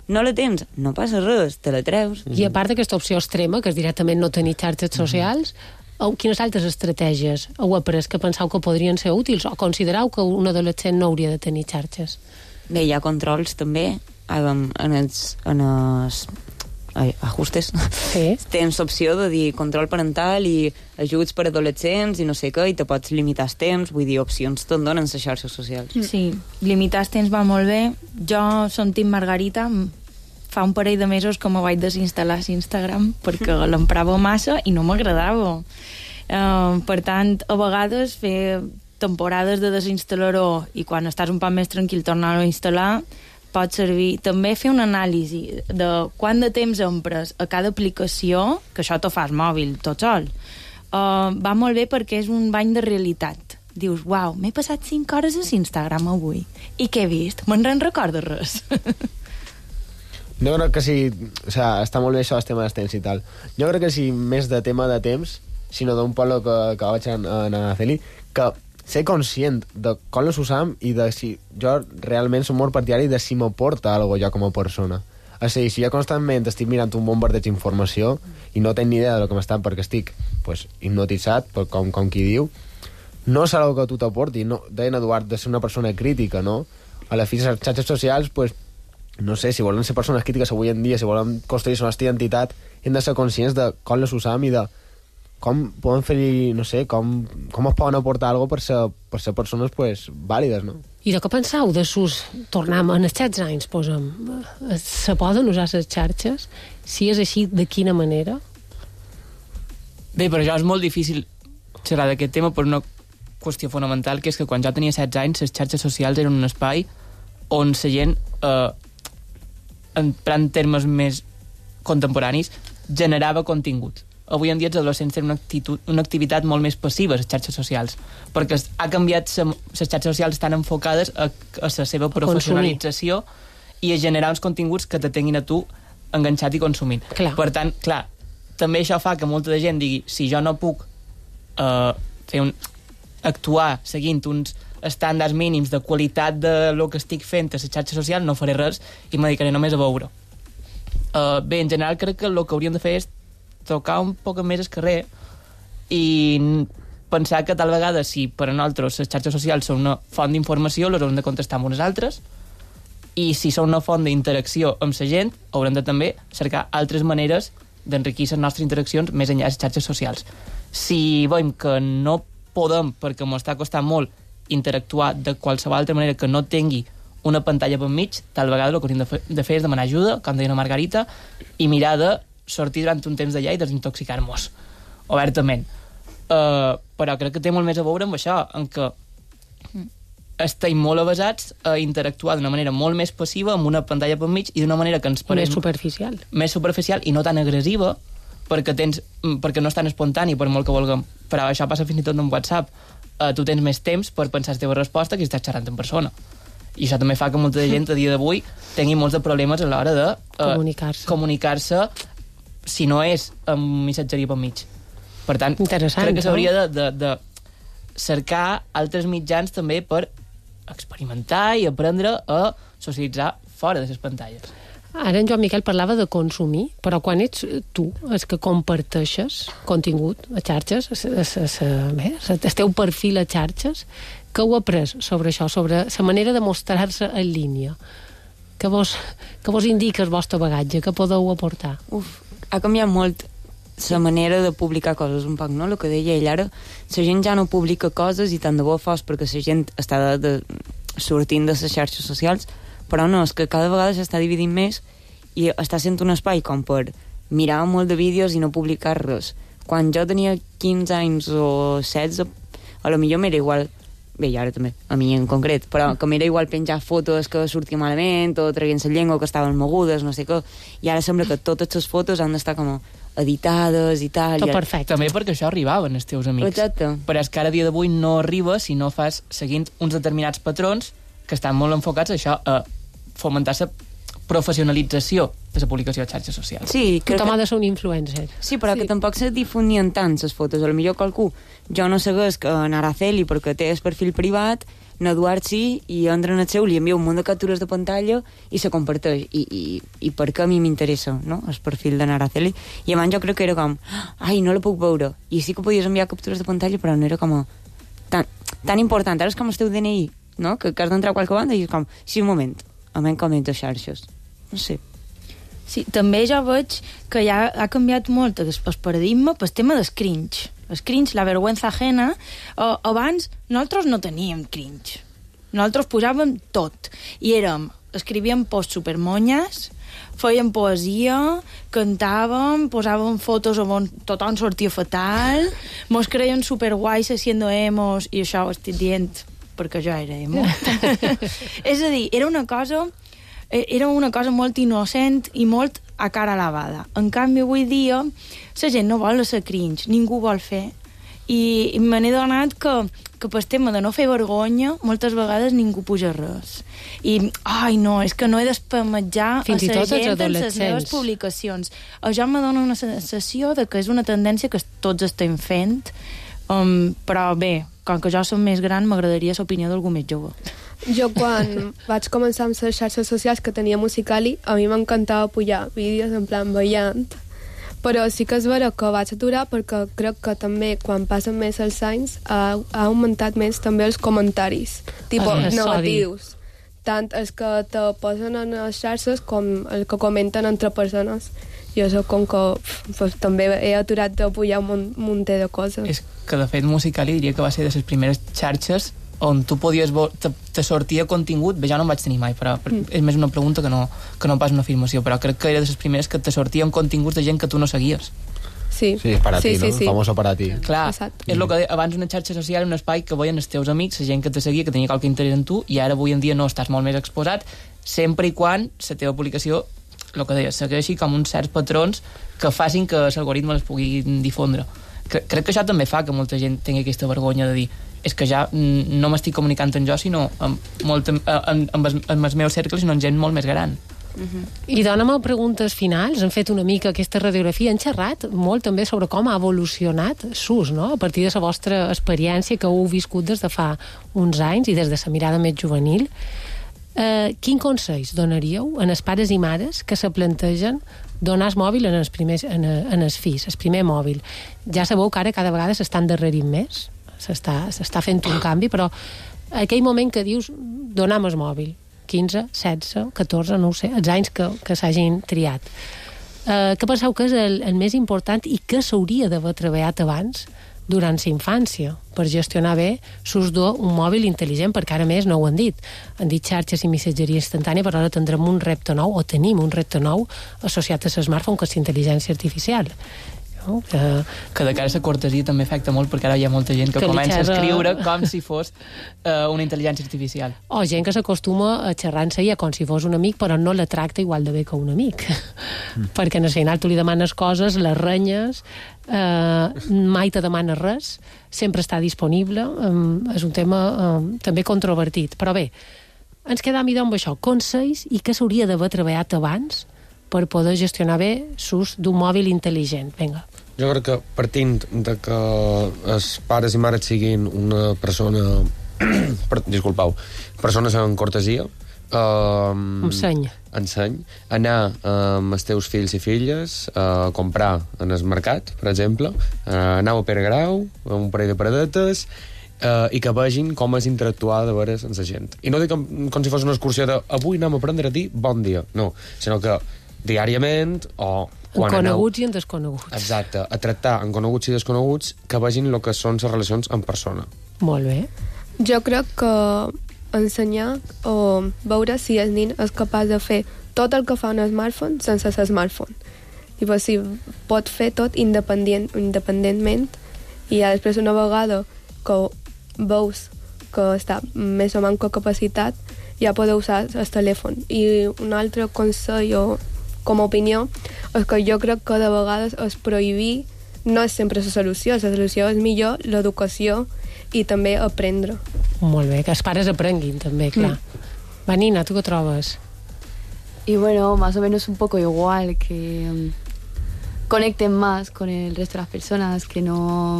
No la tens, no passa res, te la treus. I a part d'aquesta opció extrema, que és directament no tenir xarxes socials, quines altres estratègies heu après que penseu que podrien ser útils o considereu que un adolescent no hauria de tenir xarxes? Bé, hi ha controls també en els ajustes. Sí. Tens l'opció de dir control parental i ajuts per adolescents i no sé què, i te pots limitar el temps, vull dir, opcions te'n donen les xarxes socials. Sí, limitar el temps va molt bé. Jo som Team Margarita, fa un parell de mesos que me vaig desinstal·lar Instagram perquè l'emprava massa i no m'agradava. Per tant, a vegades fer temporades de desinstal·lar-ho i quan estàs un poc més tranquil tornar-ho a instal·lar pot servir. També fer una anàlisi de quant de temps empres a cada aplicació, que això t'ho fas mòbil tot sol, va molt bé perquè és un bany de realitat. Dius, uau, m'he passat 5 hores a Instagram avui. I què he vist? Me'n recordo res. Jo crec que sí, o sea, està molt bé això del tema dels temps i tal. Jo crec que sí, més de tema de temps, sinó d'un poble que vaig anar a Araceli, que ser conscient de com les usam i de si jo realment som molt partidari de si m'aporta alguna cosa jo com a persona. O sigui, si jo constantment estic mirant un bombardeig d'informació i no tenc ni idea del que m'estan perquè estic pues, hipnotitzat, com qui diu, no serà el que tu t'aporti. No, deien Eduard, de ser una persona crítica, no? A la fi, les xarxes socials, pues, no sé, si volen ser persones crítiques avui en dia, si volen construir la nostra identitat, hem de ser conscients de com les usam i de com poden fer-hi, no sé, com es poden aportar alguna cosa per ser persones pues, vàlides, no? I de què penseu de sus... Tornem en els 16 anys, posem. Se poden usar les xarxes? Si és així, de quina manera? Bé, però això és molt difícil xerrar d'aquest tema per una qüestió fonamental, que és que quan jo tenia 16 anys, les xarxes socials eren un espai on la gent, en termes més contemporanis, generava contingut. Avui en dia els adolescents tenen una activitat molt més passiva a les xarxes socials, perquè ha canviat, les xarxes socials estan enfocades a la seva professionalització i a generar uns continguts que te tinguin a tu enganxat i consumint. Clar. Per tant, clar, també això fa que molta de gent digui, si jo no puc actuar seguint uns estàndards mínims de qualitat de lo que estic fent a les xarxes socials, no faré res i me dedicaré només a veure. Bé, en general crec que el que hauríem de fer és tocar un poc més el carrer i pensar que tal vegada si per a nosaltres les xarxes socials són una font d'informació, les haurem de contestar amb unes altres, i si són una font d'interacció amb la gent, haurem de també cercar altres maneres d'enriquir les nostres interaccions més enllà de les xarxes socials. Si veiem que no podem, perquè ens està costant molt interactuar de qualsevol altra manera que no tingui una pantalla per mig, tal vegada el que hauríem de fer és demanar ajuda, com deia la Margarita, i mirar de sortir durant un temps d'allà i desintoxicar-nos obertament. Però crec que té molt més a veure amb això, en què estem molt avasats a interactuar d'una manera molt més passiva amb una pantalla per mig i d'una manera que ens pareix... Més superficial i no tan agressiva, perquè no és tan espontani, per molt que vulguem. Però això passa fins i tot en WhatsApp. Tu tens més temps per pensar la teva resposta que si estàs xerrant en persona. I això també fa que molta gent a dia d'avui tingui molts de problemes a l'hora de comunicar-se si no és amb missatgeria per mig. Per tant, crec que s'hauria de cercar altres mitjans també per experimentar i aprendre a socialitzar fora de les pantalles. Ara en Joan Miquel parlava de consumir, però quan ets tu el que comparteixes contingut a xarxes, el teu perfil a xarxes, què heu après sobre això, sobre la manera de mostrar-se en línia? Què vos indica el vostre bagatge? Què podeu aportar? Ha canviat molt la manera de publicar coses un poc, no? El que deia ell ara, la gent ja no publica coses i tant de bo fos perquè la gent està sortint de les xarxes socials, però no, és que cada vegada s'està dividint més i està sent un espai com per mirar molt de vídeos i no publicar res. Quan jo tenia 15 anys o 16, a lo millor m'era igual, bé, i ara també, a mi en concret, però que m'era igual penjar fotos que sortia malament o traient la llengua que estaven mogudes, no sé què, i ara sembla que totes les fotos han d'estar com editades i tal. Tot perfecte. També perquè això arribava als teus amics. Exacte. Però és que ara a dia d'avui no arriba si no fas seguint uns determinats patrons que estan molt enfocats a això, a fomentar la professionalització de la publicació de xarxes socials. Sí, tothom ha de ser un influencer. Sí, però que tampoc se difonien tant les fotos. A lo millor qualcú, jo no segueix en Araceli perquè té el perfil privat, n'Eduard sí, i entra en el seu, li envia un munt de captures de pantalla i se comparteix. I per què a mi m'interessa, no?, el perfil d'en Araceli. I abans jo crec que era com, ai, no la puc veure. I sí que podies enviar captures de pantalla, però no era com tan important. Ara és com el teu DNI, no?, que has d'entrar a qualque banda i és com, sí, un moment, a mi com de xarxes. No sé. Sí, també jo veig que ja ha canviat molt el paradigma pel tema del cringe. El cringe, la vergüenza ajena. Abans nosaltres no teníem cringe. Nosaltres posàvem tot. I escrivíem posts supermonyes, fèiem poesia, cantàvem, posàvem fotos on tothom sortia fatal, mos creien superguais haciendo emos, i això ho estic dient perquè jo era emo. És a dir, era una cosa molt innocent i molt a cara lavada. En canvi, avui dia, la gent no vol ser cringe, ningú vol fer. I me n'he donat que pel tema de no fer vergonya, moltes vegades ningú puja res. I, ai, no, és que no he d'espametjar fins i tot els en les meves adolescents. publicacions. Això me dona una sensació de que és una tendència que tots estem fent, però bé, com que jo som més gran, m'agradaria l'opinió d'algú més jove. Jo, quan vaig començar amb les xarxes socials que tenia Musical.ly, a mi m'encantava pujar vídeos en plan ballant, però sí que és vera que vaig aturar perquè crec que també quan passen més els anys ha augmentat més també els comentaris negatius, tant els que te posen en les xarxes com els que comenten entre persones. Jo soc com que també he aturat de pujar un munt de coses. És que de fet Musical.ly diria que va ser de les primeres xarxes on tu podies te sortia contingut, bé, jo no en vaig tenir mai, però és més una pregunta que no pas una afirmació, però crec que era de les primeres que te sortien continguts de gent que tu no seguies. Sí, para ti, no? Famoso para ti. Clar, és el que deia, abans una xarxa social, un espai que veien els teus amics, la gent que te seguia, que tenia qualque interès en tu, i ara avui en dia no, estàs molt més exposat, sempre i quan la teva publicació, el que deia, segueixi com uns certs patrons que facin que l'algoritme les pugui difondre. Crec que això també fa que molta gent tingui aquesta vergonya de dir és que ja no m'estic comunicant amb jo, sinó amb els meus cercles, sinó amb gent molt més gran. I dóna'm preguntes finals. Han fet una mica aquesta radiografia, han xerrat molt també sobre com ha evolucionat SUS, no? A partir de la vostra experiència que heu viscut des de fa uns anys i des de la mirada més juvenil. Quin consells donaríeu a els pares i mares que se plantegen donar el mòbil en els fills, el primer mòbil? Ja sabeu que ara cada vegada s'estan endarrerint més, s'està fent un canvi, però aquell moment que dius donem el mòbil, 15, 16, 14, no ho sé, els anys que s'hagin triat. Què penseu que és el més important i què s'hauria d'haver treballat abans durant la infància per gestionar bé l'ús d'un mòbil intel·ligent, perquè ara més no ho han dit. Han dit xarxes i missatgeria instantània, però ara tindrem un repte nou, o tenim un repte nou associat a l'smartphone, que és intel·ligència artificial. No? Que de cara a la cortesia també afecta molt, perquè ara hi ha molta gent que comença a escriure com si fos una intel·ligència artificial. O gent que s'acostuma a xerrar en seia com si fos un amic, però no la tracta igual de bé que un amic. Perquè en el final tu li demanes coses, les renyes, mai te demana res, sempre està disponible. És un tema també controvertit. Però bé, ens quedam amb això. Consells i què s'hauria d'haver treballat abans per poder gestionar bé l'ús d'un mòbil intel·ligent. Vinga. Jo crec que partint de que els pares i mares siguin una persona... persones amb cortesia, enseny. Anar amb els teus fills i filles a comprar en el mercat, per exemple, anar a Pere Grau, amb un parell de paradetes, i que vegin com és interactuar de veres amb la gent. I no dic com si fos una excursió de avui anem a aprendre a dir bon dia, no, sinó que diàriament o en coneguts i en desconeguts. Exacte, a tractar en coneguts i desconeguts que vegin el que són les relacions en persona. Molt bé. Jo crec que ensenyar o veure si el nen és capaç de fer tot el que fa un smartphone sense el smartphone. I si pot fer tot independentment i després una vegada que veus que està més o menys capacitat ja podeu usar el telèfon. I un altre consell o com a opinió és que jo crec que de vegades es prohibir no és sempre la solució és millor l'educació i també aprendre. Molt bé, que els pares aprenguin també, clar. Vanina, ¿tú qué trobes? Y bueno, más o menos un poco igual, que conecten más con el resto de las personas, que no...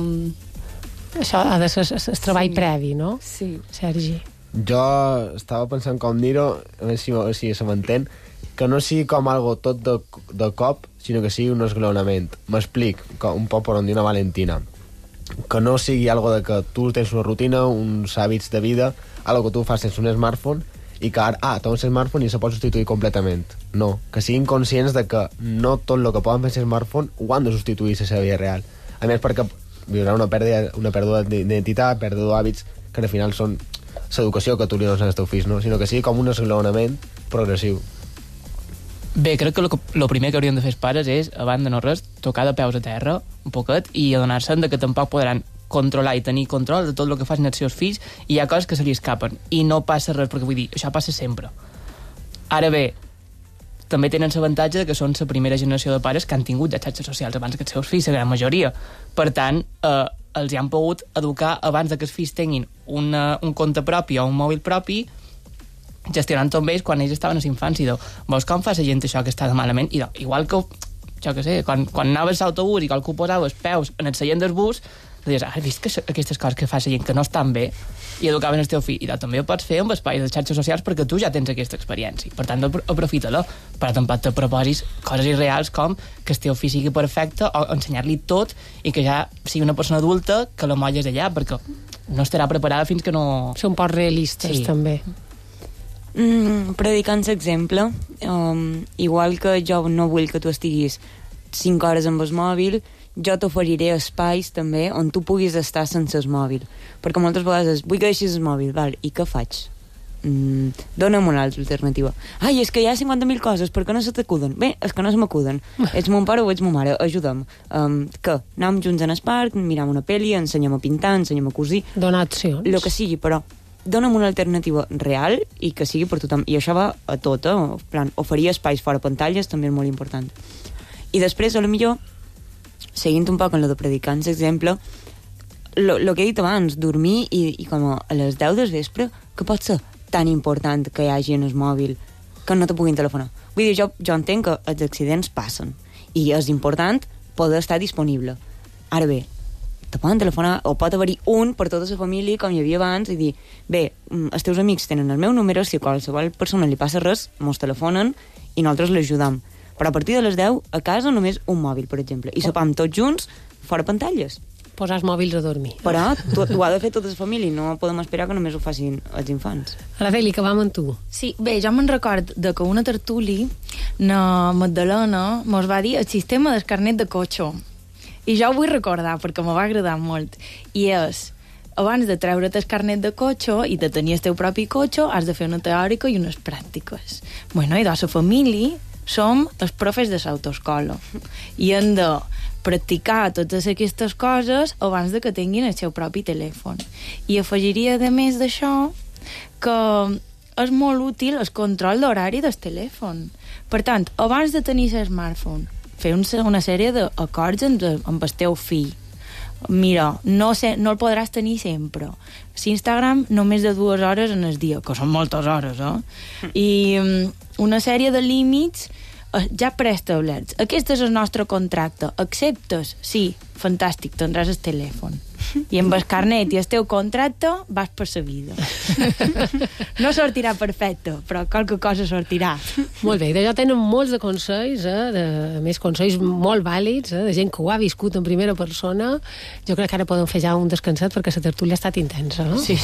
Això ha de ser el treball previ, no? Sí. Sergi. Jo estava pensant com dir-ho, a veure si se m'entén, que no sigui com algo tot de cop, sinó que sigui un esglaonament. M'explic, un poc per on dir una Valentina. Que no sigui algo de que tu tens una rutina, uns hàbits de vida, algo que tu fas sense un smartphone, i que ara, tens un smartphone i se pot substituir completament. No, que siguin conscients de que no tot el que poden fer sense smartphone ho han de substituir a la seva vida real. A més, perquè viurà una pèrdua d'identitat, pèrdua d'hàbits, que al final són l'educació que tu li dones als teus fills, no? Sinó que sigui com un esglaonament progressiu. Bé, crec que el primer que hauríem de fer els pares és, abans de no res, tocar de peus a terra un poquet i adonar-se'n que tampoc podran controlar i tenir control de tot el que facin els seus fills, i hi ha coses que se li escapen i no passa res, perquè vull dir, això passa sempre. Ara bé, també tenen l'avantatge que són la primera generació de pares que han tingut de xarxes socials abans que els seus fills, la gran majoria. Per tant, els hi han pogut educar abans de que els fills tinguin un compte propi o un mòbil propi, gestionant-ho amb ells quan ells estaven a la infància. Veus com fa la gent això que està de malament? I igual que, jo què sé, quan anaves a l'autobús i qualcú posava els peus en el seient del bus, dius, has vist que aquestes coses que fa la gent que no estan bé i educaven el teu fill, i també ho pots fer amb espais de xarxes socials perquè tu ja tens aquesta experiència, per tant aprofita-la, però tampoc te proposis coses irreals com que el teu fill sigui perfecte o ensenyar-li tot i que ja sigui una persona adulta que la molles allà, perquè no estarà preparada fins que no... Són un poc realistes, sí. També. Predicant l'exemple, igual que jo no vull que tu estiguis 5 hores amb el mòbil, jo t'oferiré espais també on tu puguis estar sense el mòbil, perquè moltes vegades vull que deixis el mòbil, val, i què faig? Dóna'm una altra alternativa. Ai, és que hi ha 50.000 coses, per què no se t'acuden? Bé, és que no se m'acuden. Ets mon pare o ets mon mare, ajuda'm. Què? Anem junts en el parc, miram una pel·li, ensenyem a pintar, ensenyem a cosir... Donar accions. Lo que sigui, però dóna'm una alternativa real i que sigui per tothom. I això va a tot, en plan, oferir espais fora pantalles també és molt important. I després, a lo millor, seguint un poc en lo de predicants, exemple, lo que he dit abans, dormir i com a les 10 del vespre, que pot ser tan important que hi hagi en el mòbil que no te puguin telefonar. Vull dir, jo entenc que els accidents passen i és important poder estar disponible. Ara bé, te poden telefonar, o pot haver-hi un per tota la família, com hi havia abans, i dir, bé, els teus amics tenen el meu número, si a qualsevol persona li passa res, mos telefonen i nosaltres l'ajudam. Però a partir de les 10, a casa només un mòbil, per exemple, i sopam tots junts, fora pantalles. Posar els mòbils a dormir. Però ho ha de fer tota la família, no podem esperar que només ho facin els infants. Araceli, que vam amb tu. Sí, bé, jo me'n record de que una tertuli, na Magdalena, mos va dir el sistema del carnet de cotxe. I jo ho vull recordar, perquè m'ho va agradar molt. I és, abans de treure't el carnet de cotxe i de tenir el teu propi cotxe, has de fer una teòrica i unes pràctiques. Bueno, i de la família som els profes de l'autoescola i hem de practicar totes aquestes coses abans de que tinguin el seu propi telèfon. I afegiria, a més d'això, que és molt útil el control d'horari del telèfon. Per tant, abans de tenir el smartphone, fer una sèrie d'acords amb el teu fill. Mira, no el podràs tenir sempre. L'Instagram només de 2 hores en el dia, que són moltes hores, I una sèrie de límits ja preestablerts. Aquest és el nostre contracte. Acceptes? Sí. Fantàstic, tindràs el telèfon. I amb el carnet i el teu contracte vas per la vida. No sortirà perfecte, però qualque cosa sortirà. Molt bé, d'allò tenen molts de consells, a més consells molt vàlids, de gent que ho ha viscut en primera persona. Jo crec que ara podem fer ja un descansat perquè la tertúlia ha estat intensa, no? Sí.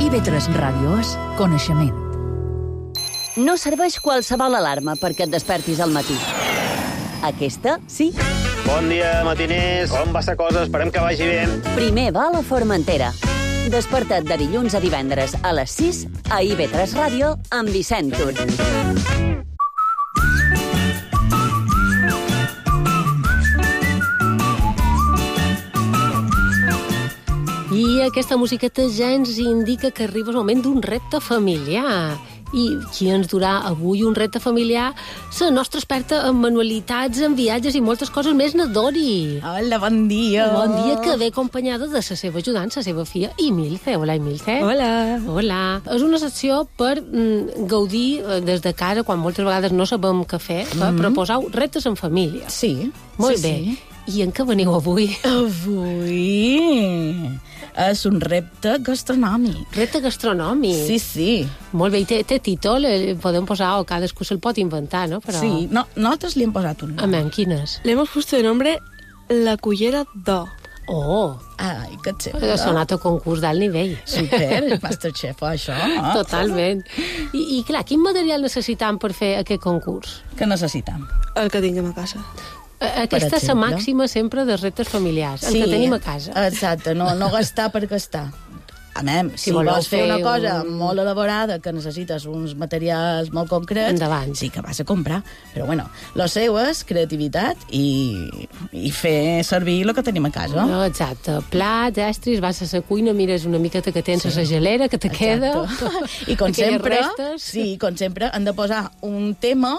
IB3 Ràdio és coneixement. No serveix qualsevol alarma perquè et despertis al matí. Aquesta, sí. Bon dia, matiners. Com va la cosa? Esperem que vagi bé. Primer va a la Formentera. Desperta't de dilluns a divendres a les 6 a IB3 Ràdio amb Vicent Tur. I aquesta musiqueta ja ens indica que arriba el moment d'un repte familiar. I qui ens durà avui un repte familiar? La nostra experta en manualitats, en viatges i moltes coses més, na Dori. Hola, bon dia. Bon dia, que ve acompanyada de la seva ajudant, la seva filla, Imilce. Hola, Imilce. Hola. És una secció per gaudir des de casa, quan moltes vegades no sabem què fer, per proposar reptes en família. Sí. Molt bé. I en què veniu avui? Avui és un repte gastronòmic. Repte gastronòmic? Sí. Molt bé, i té títol, podem posar, o cadascú se'l pot inventar, no? Però... Sí, nosaltres li hem posat un nom. Amén, quin és? Le hemos puesto de nombre La Cullera d'O. Oh! Ai, que xef. Ha sonat a concurs d'alt nivell. Super, Masterchef, això. Totalment. I clar, quin material necessitam per fer aquest concurs? Què necessitam? El que tinguem a casa. Aquesta és la màxima sempre dels reptes familiars, el que tenim a casa. Exacte, no gastar per gastar. Si vols fer una cosa molt elaborada, que necessites uns materials molt concrets, endavant. Sí que vas a comprar. Però bueno, lo seu és creativitat i fer servir el que tenim a casa. No, exacte. Plats, estris, vas a la cuina, mires una miqueta que tens a la gelera, que te queda. I com sempre, han de posar un tema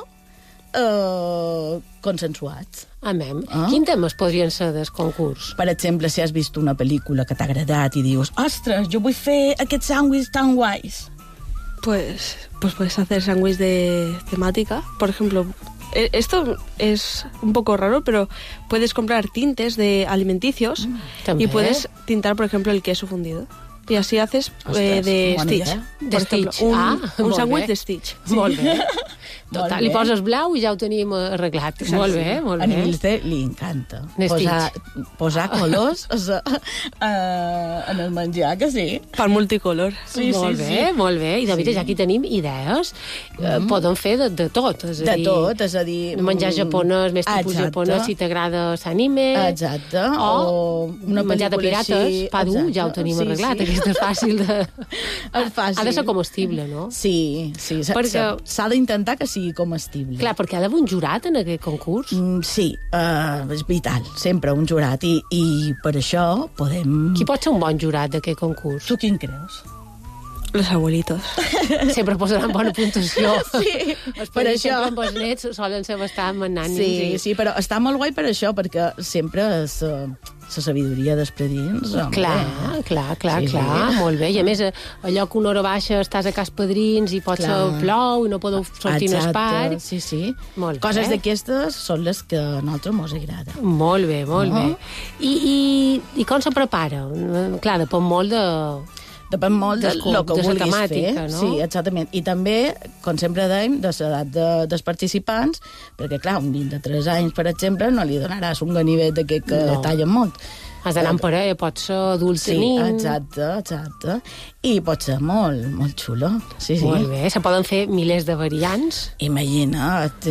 consensuat. Quins temes podrien ser del concurs? Per exemple, si has vist una pel·lícula que t'ha agradat i dius, ostres, jo vull fer aquests sàndwichs tan guais. Pues puedes hacer sándwich de temática. Por ejemplo, esto es un poco raro, pero puedes comprar tintes de alimenticios y puedes tintar, por ejemplo, el queso fundido. Y así haces de Stitch. Por ejemplo, un sándwich de Stitch. Molt bé. Total, li poses blau i ja ho tenim arreglat. Molt bé, molt bé. A Nilce li encanta posar colors en el menjar, que sí. Per multicolor. Molt bé. I de veritat, aquí tenim idees. Poden fer de tot. De tot, és a dir... Menjar japonès, més tipus japonès, si t'agrada l'anime. Exacte. O menjar de pirates, pa dur, ja ho tenim arreglat. Aquest és fàcil de... Ha de ser comestible, no? Sí. S'ha d'intentar que sigui comestible. Clar, perquè ha d'haver un jurat en aquest concurs. Sí, és vital, sempre un jurat. I per això podem... Qui pot ser un bon jurat d'aquest concurs? Tu quin creus? Los abuelitos. Sempre posaran bona puntuació. Sí, per això. Sempre amb els nets solen ser bastant magnànims. Sí, però està molt guai per això, perquè sempre és la sabidoria despredins. Clar, molt bé. I a més, allò que una hora baixa estàs a cas padrins i pot ser plou i no podeu sortir en el parc. Sí. Coses d'aquestes són les que a nosaltres mos agrada. Molt bé. I com se prepara? Clar, depèn molt de... Depèn molt del que vulguis temàtica, fer. No? Sí, exactament. I també, com sempre dèiem, de l'edat dels participants, perquè, clar, un nen de 3 anys, per exemple, no li donaràs un ganivet d'aquest que tallen molt. Has d'anar en parella, pot ser adult nin. Sí, exacte. I pot ser molt, molt xulo. Sí. Molt bé, se poden fer milers de variants. Imagina't.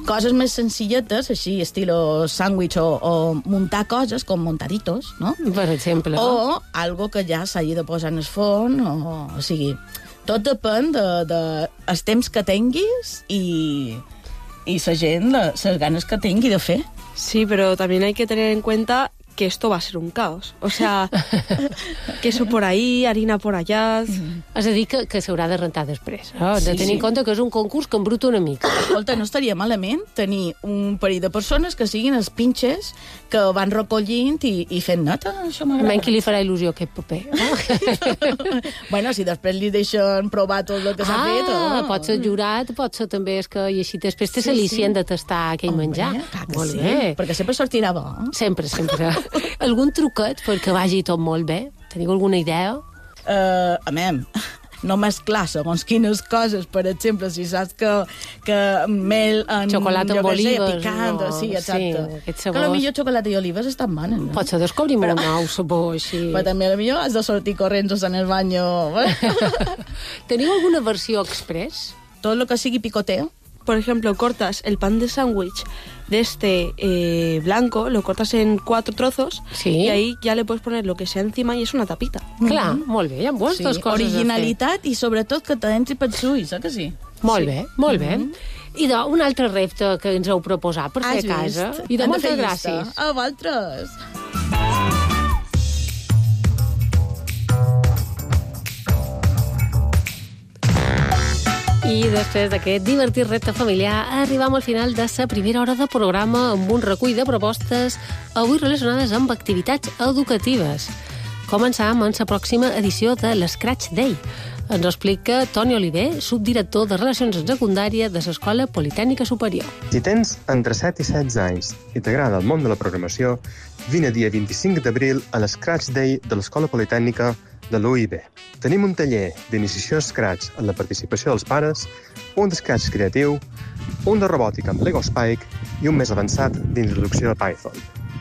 Coses més senzilletes, així, estilo sàndwich o muntar coses com montaditos, no? Per exemple. O algo que ja s'hagi de posar en el forn, o sigui, tot depèn dels temps que tinguis i la gent, les ganes que tingui de fer. Sí, pero también hay que tener en cuenta que esto va a ser un caos. O sea, queso por ahí, harina por allá... És a dir, que s'haurà de rentar després. No? De tenir en compte que és un concurs que embruta una mica. Escolta, no estaria malament tenir un parell de persones que siguin els pinxes que van recollint i fent nota. Això m'agrada. Menys qui li farà il·lusió aquest paper. Bueno, si després li deixen provar tot el que s'ha fet... Pot ser jurat, pot ser també... I així després té l'al·licient de tastar aquell menjar. Molt bé. Perquè sempre sortirà bo. Sempre. Algun truquet perquè vagi tot molt bé? Teniu alguna idea? No mesclar segons quines coses, per exemple, si saps que mel en... Xocolata amb olives. Picant, sí, exacte. Sí, que potser xocolata i olives estan bones, no? Pot ser descobrim un nou sabor, així. Però també potser has de sortir corrents en el baño. Teniu alguna versió express? Tot lo que sigui picoteo. Por ejemplo, cortas el pan de sándwich de este blanco, lo cortas en 4 trozos y ahí ya le puedes poner lo que sea encima y es una tapita. Clar, molt bé, hi ha moltes coses originalitat i sobretot que t'entri pels ulls, que sí? Molt bé. I un altre repte que ens heu proposat per fer a casa. I de moltes gràcies. A vosaltres. I després d'aquest divertit repte familiar arribam al final de la primera hora de programa amb un recull de propostes avui relacionades amb activitats educatives. Començam amb la pròxima edició de l'Scratch Day. Ens ho explica Toni Oliver, subdirector de Relacions en Secundària de l'Escola Politècnica Superior. Si tens entre 7 i 16 anys i t'agrada el món de la programació, vine dia 25 d'abril a l'Scratch Day de l'Escola Politècnica de l'UIB. Tenim un taller d'iniciació a Scratch en la participació dels pares, un d'Scratch creatiu, un de robòtica amb Lego Spike i un més avançat d'introducció a Python.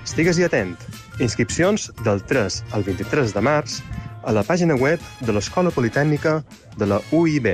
Estigues-hi atent. Inscripcions del 3 al 23 de març a la pàgina web de l'Escola Politècnica de la UIB.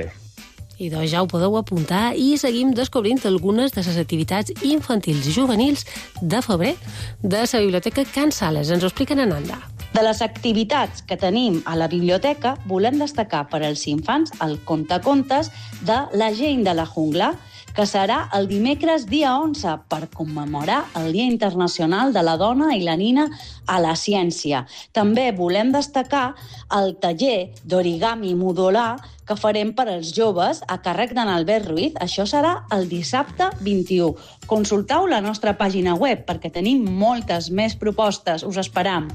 I doncs ja ho podeu apuntar i seguim descobrint algunes de les activitats infantils i juvenils de febrer de la Biblioteca Can Sales. Ens ho expliquen en Ananda. De les activitats que tenim a la biblioteca, volem destacar per als infants el contacontes de La gent de la jungla, que serà el dimecres dia 11 per commemorar el Dia Internacional de la Dona i la Nina a la Ciència. També volem destacar el taller d'origami modular que farem per als joves a càrrec d'en Albert Ruiz. Això serà el dissabte 21. Consulteu la nostra pàgina web perquè tenim moltes més propostes. Us esperam.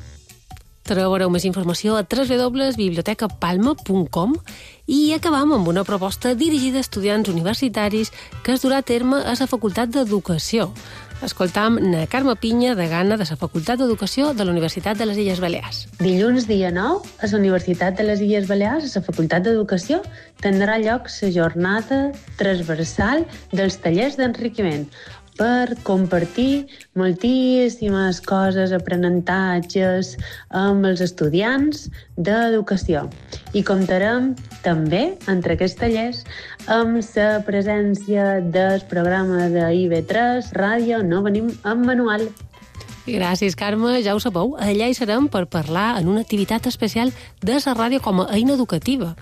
Trobareu més informació a www.bibliotecapalma.com i acabam amb una proposta dirigida a estudiants universitaris que es durà a terme a la Facultat d'Educació. Escoltam na Carme Pinya, degana de la Facultat d'Educació de la Universitat de les Illes Balears. Dilluns, dia 9, a la Universitat de les Illes Balears, a la Facultat d'Educació, tindrà lloc la jornada transversal dels tallers d'enriquiment per compartir moltíssimes coses, aprenentatges amb els estudiants d'educació. I comptarem també, entre aquests tallers, amb la presència del programa de IB3, Ràdio No Venim amb Manual. Gràcies, Carme. Ja ho sabeu, allà hi serem per parlar en una activitat especial de la ràdio com a eina educativa.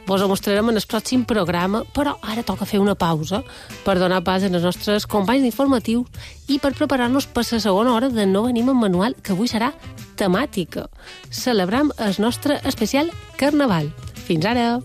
Vos ho mostrarem en el pròxim programa, però ara toca fer una pausa per donar pas als nostres companys d'informatius i per preparar-nos per la segona hora de No Venim amb Manual, que avui serà temàtica. Celebram el nostre especial Carnaval. Fins ara!